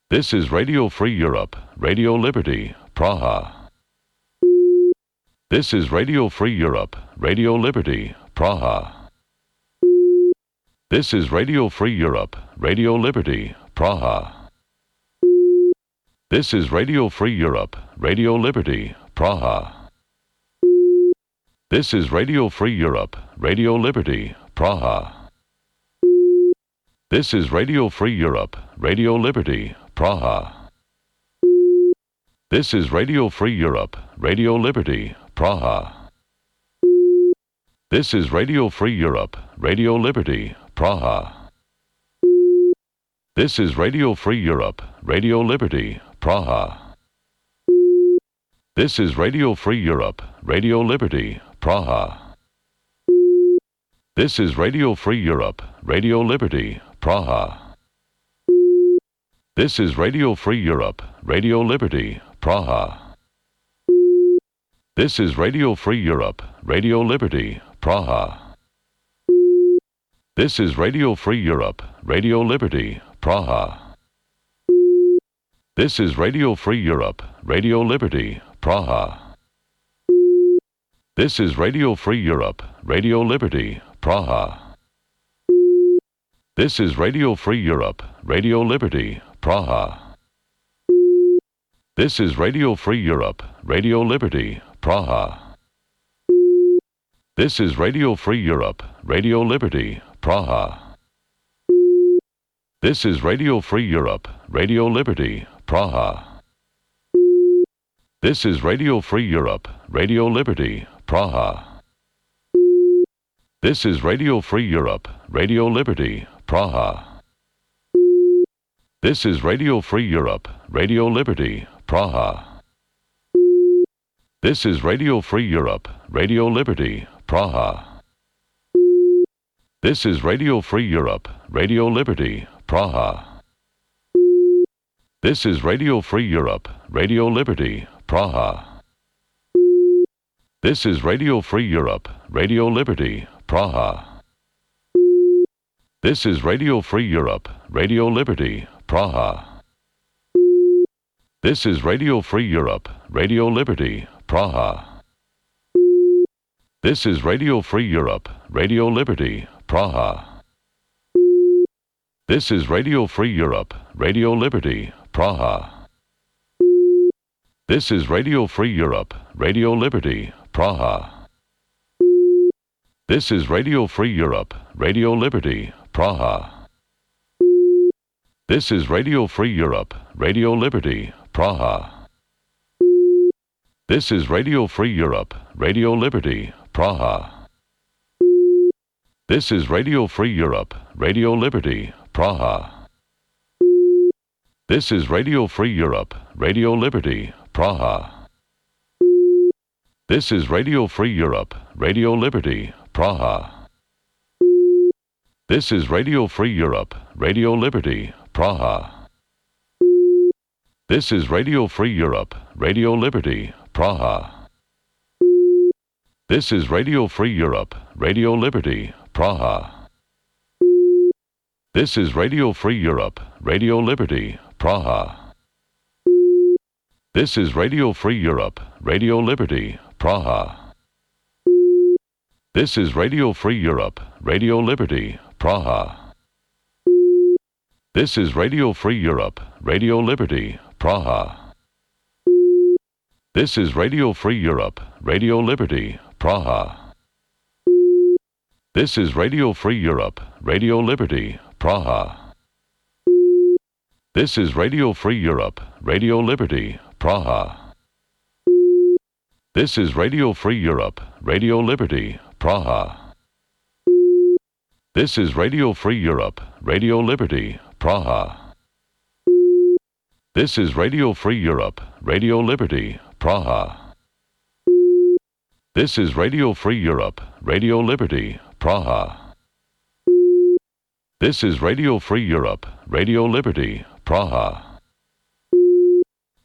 This is Radio Free Europe, Radio Liberty, Praha. This is Radio Free Europe, Radio Liberty, Praha. This is Radio Free Europe, Radio Liberty, Praha. This is Radio Free Europe, Radio Liberty, Praha. This is Radio Free Europe, Radio Liberty, Praha. This is Radio Free Europe, Radio Liberty, Praha. This is Radio Free Europe, Radio Liberty, Praha. This is Radio Free Europe, Radio Liberty, Praha. This is Radio Free Europe, Radio Liberty, Praha. This is Radio Free Europe, Radio Liberty, Praha. This is Radio Free Europe, Radio Liberty, Praha. This is Radio Free Europe, Radio Liberty, Praha. This is Radio Free Europe, Radio Liberty, Praha. This is Radio Free Europe, Radio Liberty, Praha. This is Radio Free Europe, Radio Liberty, Praha. This is Radio Free Europe, Radio Liberty, Praha. This is Radio Free Europe, Radio Liberty, Praha. This is Radio Free Europe, Radio Liberty, Praha. This is Radio Free Europe, Radio Liberty, Praha. This is Radio Free Europe, Radio Liberty, Praha. This is Radio Free Europe, Radio Liberty, Praha. This is Radio Free Europe, Radio Liberty, Praha. This is Radio Free Europe, Radio Liberty, Praha. This is Radio Free Europe, Radio Liberty, Praha. This is Radio Free Europe, Radio Liberty, Praha. This is Radio Free Europe, Radio Liberty, Praha. This is Radio Free Europe, Radio Liberty, Praha. This is Radio Free Europe, Radio Liberty, Praha. This is Radio Free Europe, Radio Liberty, Praha. This is Radio Free Europe, Radio Liberty, Praha. This is Radio Free Europe, Radio Liberty, Praha. This is Radio Free Europe, Radio Liberty, Praha. This is Radio Free Europe, Radio Liberty, Praha. This is Radio Free Europe, Radio Liberty, Praha. This is Radio Free Europe, Radio Liberty, Praha. This is Radio Free Europe, Radio Liberty, Praha. This is Radio Free Europe, Radio Liberty, Praha. This is Radio Free Europe, Radio Liberty, Praha. This is Radio Free Europe, Radio Liberty, Praha. This is Radio Free Europe, Radio Liberty, Praha. This is Radio Free Europe, Radio Liberty, Praha. This is Radio Free Europe, Radio Liberty, Praha. This is Radio Free Europe, Radio Liberty, Praha. This is Radio Free Europe, Radio Liberty, Praha. This is Radio Free Europe, Radio Liberty, Praha. This is Radio Free Europe, Radio Liberty, Praha. This is Radio Free Europe, Radio Liberty, Praha. This is Radio Free Europe, Radio Liberty, Praha. This is Radio Free Europe, Radio Liberty, Praha. This is Radio Free Europe, Radio Liberty, Praha. This is Radio Free Europe, Radio Liberty, Praha. This is Radio Free Europe, Radio Liberty, Praha. This is Radio Free Europe, Radio Liberty, Praha.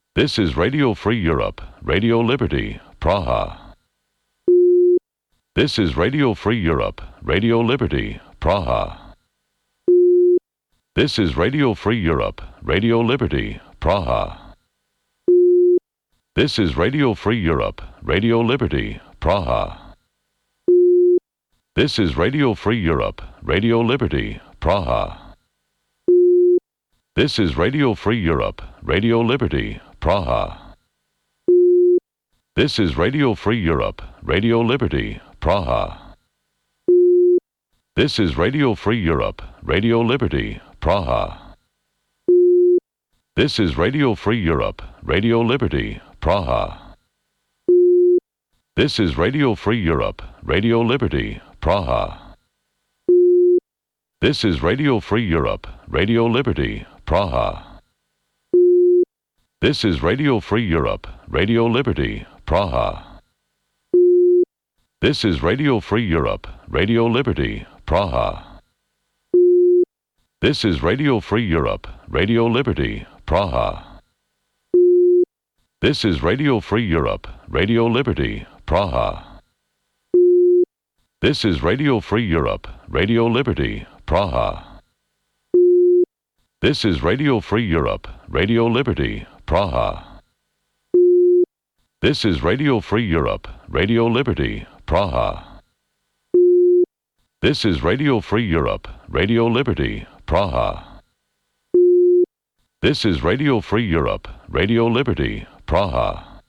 This is Radio Free Europe, Radio Liberty, Praha. This is Radio Free Europe, Radio Liberty, Praha. This is Radio Free Europe, Radio Liberty, Praha. This is Radio Free Europe, Radio Liberty, Praha. This is Radio Free Europe, Radio Liberty, Praha. This is Radio Free Europe, Radio Liberty, Praha. This is Radio Free Europe, Radio Liberty, Praha. This is Radio Free Europe, Radio Liberty, Praha. This is Radio Free Europe, Radio Liberty, Praha. This is Radio Free Europe, Radio Liberty, Praha. This is Radio Free Europe, Radio Liberty, Praha. This is Radio Free Europe, Radio Liberty, Praha. This is Radio Free Europe, Radio Liberty, Praha. This is Radio Free Europe, Radio Liberty, Praha. This is Radio Free Europe, Radio Liberty, Praha. This is Radio Free Europe, Radio Liberty, Praha. This is Radio Free Europe, Radio Liberty, Praha. This is Radio Free Europe, Radio Liberty, Praha. This is Radio Free Europe, Radio Liberty, Praha. This is Radio Free Europe, Radio Liberty, Praha.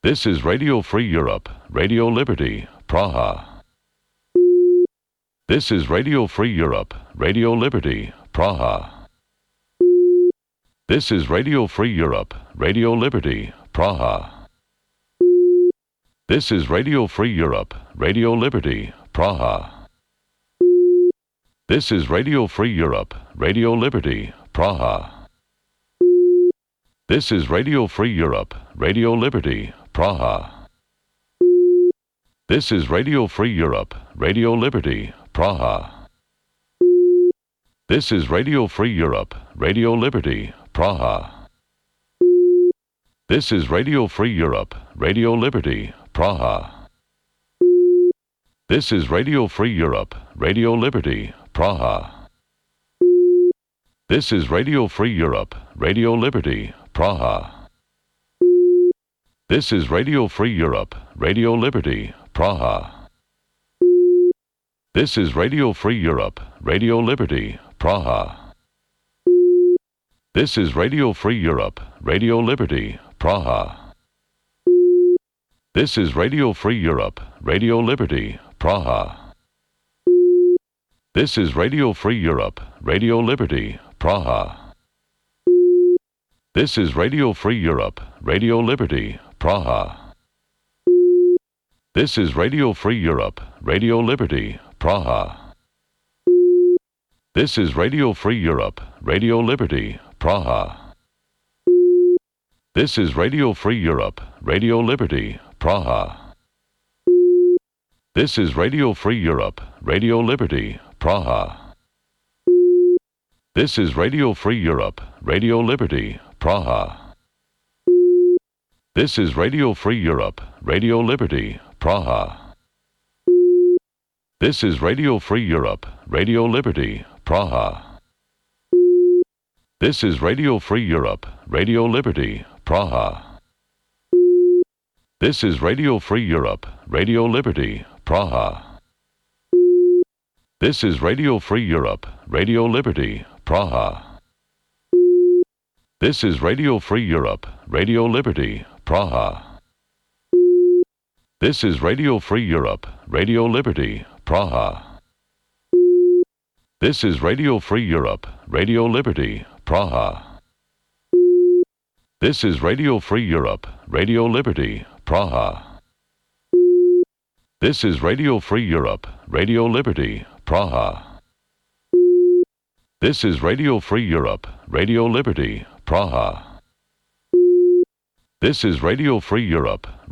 This is Radio Free Europe, Radio Liberty, Praha. This is Radio Free Europe, Radio Liberty, Praha. This is Radio Free Europe, Radio Liberty, Praha. This is Radio Free Europe, Radio Liberty, Praha. This is Radio Free Europe, Radio Liberty, Praha. This is Radio Free Europe, Radio Liberty, Praha. This is Radio Free Europe, Radio Liberty, Praha. This is Radio Free Europe, Radio Liberty, Praha. This is Radio Free Europe, Radio Liberty, Praha. This is Radio Free Europe, Radio Liberty, Praha. This is Radio Free Europe, Radio Liberty, Praha. This is Radio Free Europe, Radio Liberty, Praha. This is Radio Free Europe, Radio Liberty, Praha. This is Radio Free Europe, Radio Liberty, Praha. This is Radio Free Europe, Radio Liberty, Praha. This is Radio Free Europe, Radio Liberty, Praha. This is Radio Free Europe, Radio Liberty, Praha. This is Radio Free Europe, Radio Liberty, Praha. This is Radio Free Europe, Radio Liberty, Praha. This is Radio Free Europe, Radio Liberty, Praha. This is Radio Free Europe, Radio Liberty, Praha. This is Radio Free Europe, Radio Liberty, Praha. This is Radio Free Europe, Radio Liberty, Praha. This is Radio Free Europe, Radio Liberty, Praha. This is Radio Free Europe, Radio Liberty, Praha. This is Radio Free Europe, Radio Liberty, Praha. This is Radio Free Europe, Radio Liberty, Praha. This is Radio Free Europe, Radio Liberty, Praha. This is Radio Free Europe, Radio Liberty, Praha. This is Radio Free Europe, Radio Liberty, Praha. This is Radio Free Europe, Radio Liberty, Praha. This is Radio Free Europe, Radio Liberty, Praha. This is Radio Free Europe,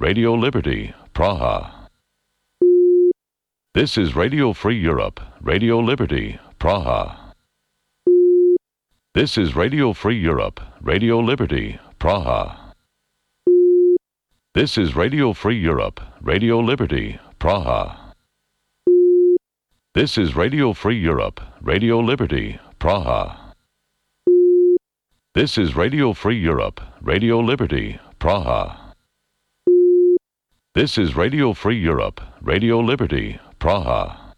Radio Liberty, Praha. This is Radio Free Europe, Radio Liberty, Praha. This is Radio Free Europe, Radio Liberty, Praha. This is Radio Free Europe, Radio Liberty, Praha. This is Radio Free Europe, Radio Liberty, Praha. This is Radio Free Europe, Radio Liberty, Praha. This is Radio Free Europe, Radio Liberty, Praha. This is Radio Free Europe, Radio Liberty, Praha.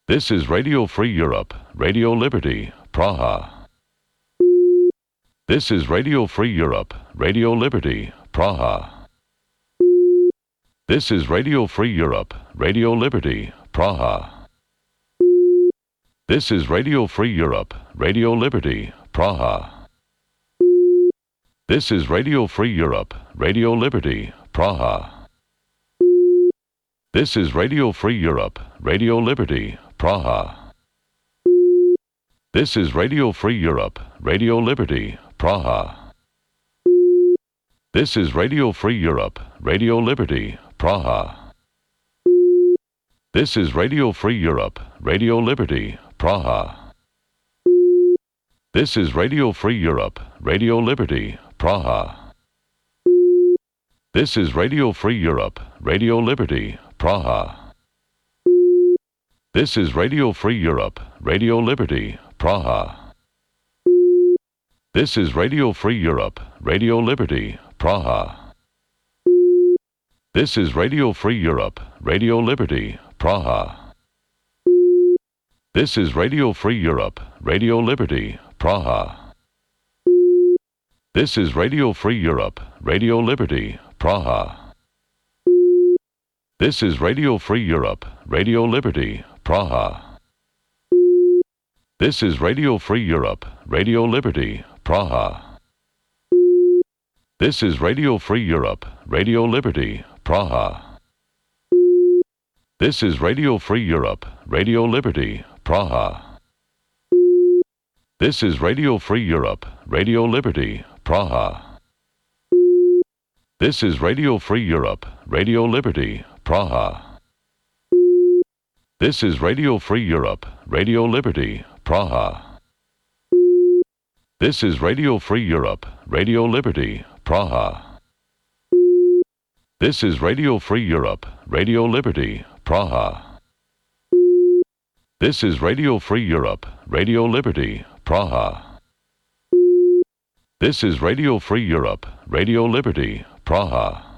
This is Radio Free Europe, Radio Liberty, Praha. This is Radio Free Europe, Radio Liberty, Praha. This is Radio Free Europe, Radio Liberty, Praha. This is Radio Free Europe, Radio Liberty, Praha. This is Radio Free Europe, Radio Liberty, Praha. This is Radio Free Europe, Radio Liberty, Praha. This is Radio Free Europe, Radio Liberty, Praha. This is Radio Free Europe, Radio Liberty, Praha. This is Radio Free Europe, Radio Liberty, Praha. This is Radio Free Europe, Radio Liberty, Praha. This is Radio Free Europe, Radio Liberty, Praha. This is Radio Free Europe, Radio Liberty, Praha. This is Radio Free Europe, Radio Liberty, Praha. This is Radio Free Europe, Radio Liberty, Praha. This is Radio Free Europe, Radio Liberty, Praha. This is Radio Free Europe, Radio Liberty, Praha. This is Radio Free Europe, Radio Liberty, Praha. This is Radio Free Europe, Radio Liberty, Praha. This is Radio Free Europe, Radio Liberty, Praha. This is Radio Free Europe, Radio Liberty, Praha. This is Radio Free Europe, Radio Liberty, Praha. This is Radio Free Europe, Radio Liberty, Praha. This is Radio Free Europe, Radio Liberty, Praha. This is Radio Free Europe, Radio Liberty, Praha. This is Radio Free Europe, Radio Liberty, Praha. This is Radio Free Europe, Radio Liberty, Praha. This is Radio Free Europe, Radio Liberty, Praha.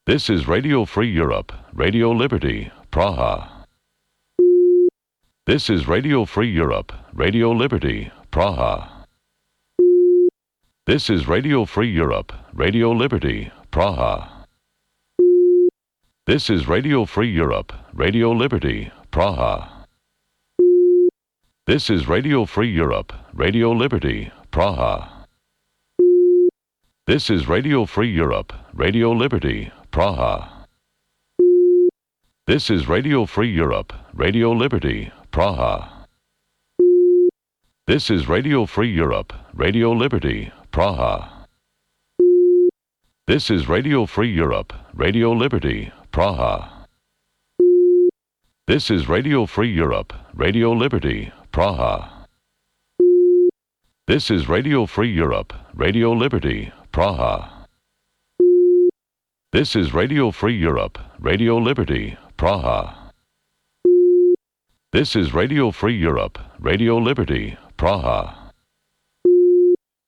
This is Radio Free Europe, Radio Liberty, Praha. This is Radio Free Europe, Radio Liberty, Praha. This is Radio Free Europe, Radio Liberty, Praha. This is Radio Free Europe, Radio Liberty, Praha. This is Radio Free Europe, Radio Liberty, Praha. This is Radio Free Europe, Radio Liberty, Praha. This is Radio Free Europe, Radio Liberty, Praha. This is Radio Free Europe, Radio Liberty, Praha. This is Radio Free Europe, Radio Liberty, Praha. This is Radio Free Europe, Radio Liberty, Praha. This is Radio Free Europe, Radio Liberty, Praha. This is Radio Free Europe, Radio Liberty, Praha. This is Radio Free Europe, Radio Liberty, Praha.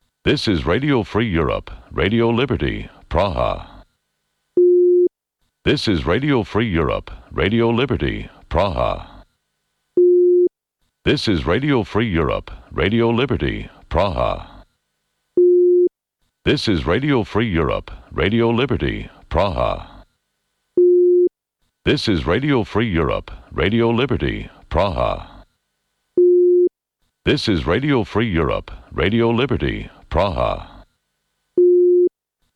This is Radio Free Europe, Radio Liberty, Praha. This is Radio Free Europe, Radio Liberty, Praha. This is Radio Free Europe, Radio Liberty, Praha. This is Radio Free Europe, Radio Liberty, Praha. This is Radio Free Europe, Radio Liberty, Praha. This is Radio Free Europe, Radio Liberty, Praha.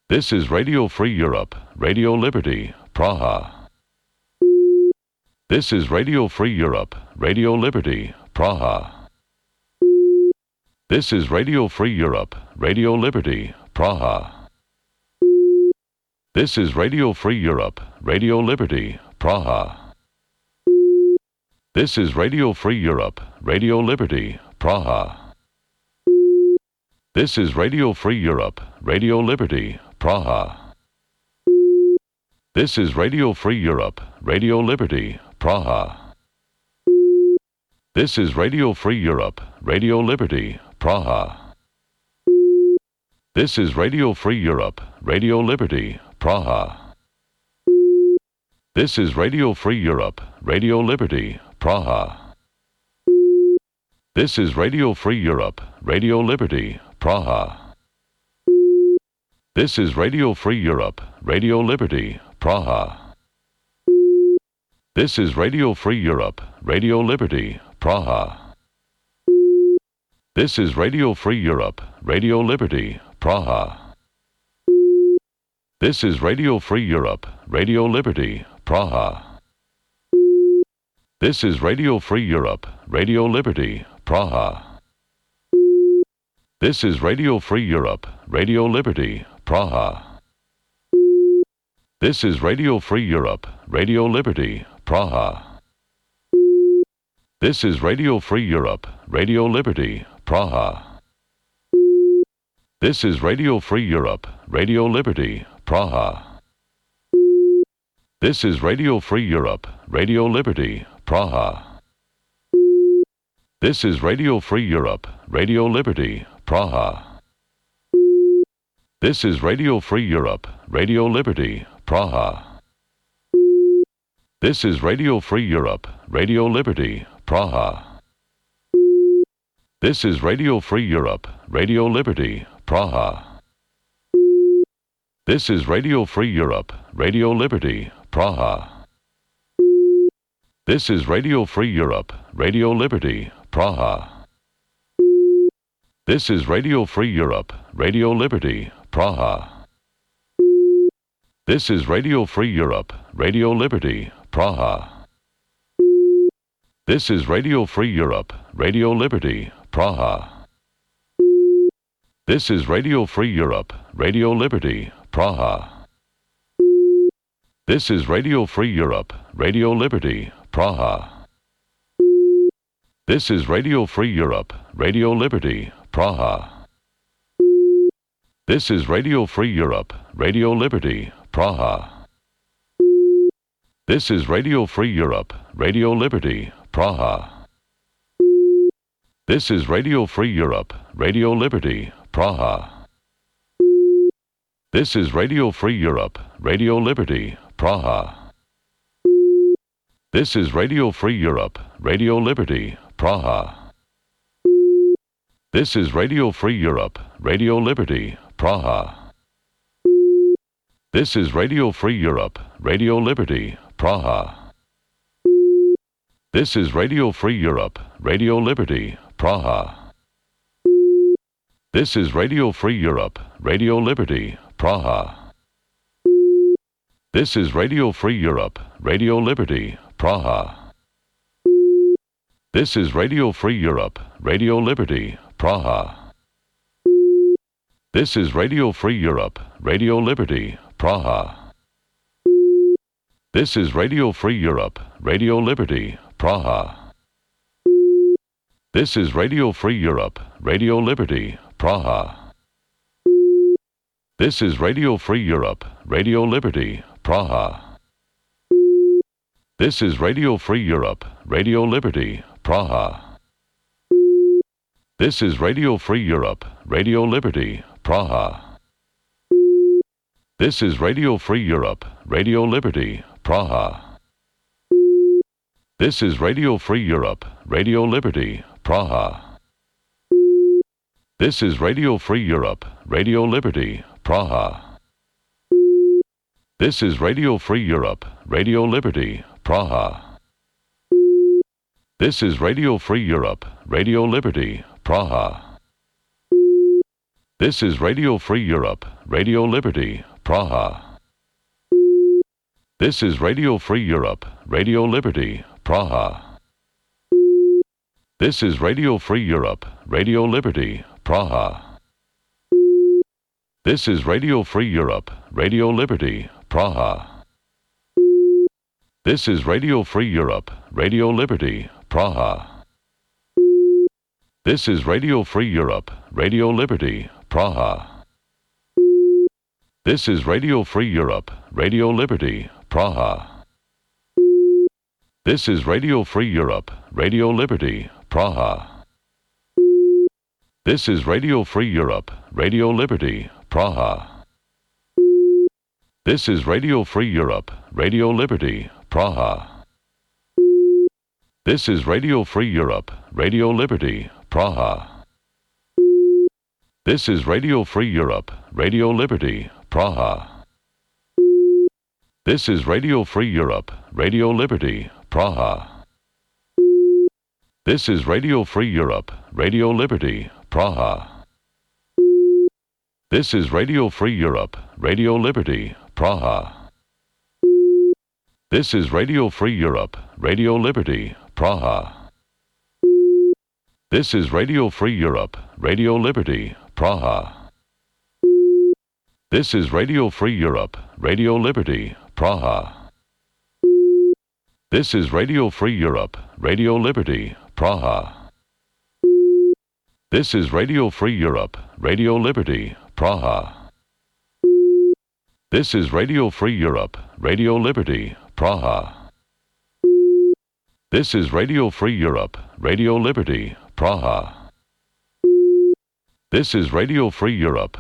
This is Radio Free Europe, Radio Liberty, Praha. This is Radio Free Europe, Radio Liberty, Praha. This is Radio Free Europe, Radio Liberty, Praha. This is Radio Free Europe, Radio Liberty, Praha. This is Radio Free Europe, Radio Liberty, Praha. This is Radio Free Europe, Radio Liberty, Praha. This is Radio Free Europe, Radio Liberty, Praha. This is Radio Free Europe, Radio Liberty, Praha. This is Radio Free Europe, Radio Liberty, Praha. This is Radio Free Europe, Radio Liberty, Praha. This is Radio Free Europe, Radio Liberty, Praha. This is Radio Free Europe, Radio Liberty, Praha. This is Radio Free Europe, Radio Liberty, Praha. This is Radio Free Europe, Radio Liberty, Praha. This is Radio Free Europe, Radio Liberty, Praha. This is Radio Free Europe, Radio Liberty, Praha. This is Radio Free Europe, Radio Liberty, Praha. This is Radio Free Europe, Radio Liberty, Praha. This is Radio Free Europe, Radio Liberty, Praha. This is Radio Free Europe, Radio Liberty, Praha. This is Radio Free Europe, Radio Liberty, Praha. This is Radio Free Europe, Radio Liberty, Praha. This is Radio Free Europe, Radio Liberty, Praha. This is Radio Free Europe, Radio Liberty, Praha. This is Radio Free Europe, Radio Liberty, Praha. This is Radio Free Europe, Radio Liberty, Praha. This is Radio Free Europe, Radio Liberty, Praha. This is Radio Free Europe, Radio Liberty, Praha. This is Radio Free Europe, Radio Liberty, Praha. This is Radio Free Europe, Radio Liberty, Praha. This is Radio Free Europe, Radio Liberty, Praha. This is Radio Free Europe, Radio Liberty, Praha. This is Radio Free Europe, Radio Liberty, Praha. This is Radio Free Europe, Radio Liberty, Praha. This is Radio Free Europe, Radio Liberty, Praha. This is Radio Free Europe, Radio Liberty, Praha. This is Radio Free Europe, Radio Liberty, Praha. This is Radio Free Europe, Radio Liberty, Praha. This is Radio Free Europe, Radio Liberty, Praha. This is Radio Free Europe, Radio Liberty, Praha. This is Radio Free Europe, Radio Liberty, Praha. This is Radio Free Europe, Radio Liberty, Praha. This is Radio Free Europe, Radio Liberty, Praha. This is Radio Free Europe, Radio Liberty, Praha. This is Radio Free Europe, Radio Liberty, Praha. This is Radio Free Europe, Radio Liberty, Praha. This is Radio Free Europe, Radio Liberty, Praha. This is Radio Free Europe, Radio Liberty, Praha. This is Radio Free Europe, Radio Liberty, Praha. This is Radio Free Europe, Radio Liberty, Praha. This is Radio Free Europe, Radio Liberty, Praha. This is Radio Free Europe, Radio Liberty, Praha. This is Radio Free Europe, Radio Liberty, Praha. This is Radio Free Europe, Radio Liberty, Praha. This is Radio Free Europe, Radio Liberty, Praha. This is Radio Free Europe, Radio Liberty, Praha. This is Radio Free Europe, Radio Liberty, Praha. This is Radio Free Europe, Radio Liberty, Praha. This is Radio Free Europe, Radio Liberty, Praha. This is Radio Free Europe, Radio Liberty, Praha. This is Radio Free Europe, Radio Liberty, Praha. This is Radio Free Europe, Radio Liberty, Praha. This is Radio Free Europe, Radio Liberty, Praha. This is Radio Free Europe, Radio Liberty, Praha. This is Radio Free Europe, Radio Liberty, Praha. This is Radio Free Europe, Radio Liberty, Praha. This is Radio Free Europe, Radio Liberty, Praha. This is Radio Free Europe, Radio Liberty, Praha. This is Radio Free Europe, Radio Liberty, Praha. This is Radio Free Europe, Radio Liberty, Praha. This is Radio Free Europe, Radio Liberty, Praha. This is Radio Free Europe, Radio Liberty, Praha. This is Radio Free Europe, Radio Liberty, Praha. This is Radio Free Europe, Radio Liberty, Praha. This is Radio Free Europe, Radio Liberty, Praha. This is Radio Free Europe, Radio Liberty, Praha. This is Radio Free Europe, Radio Liberty, Praha. This is Radio Free Europe.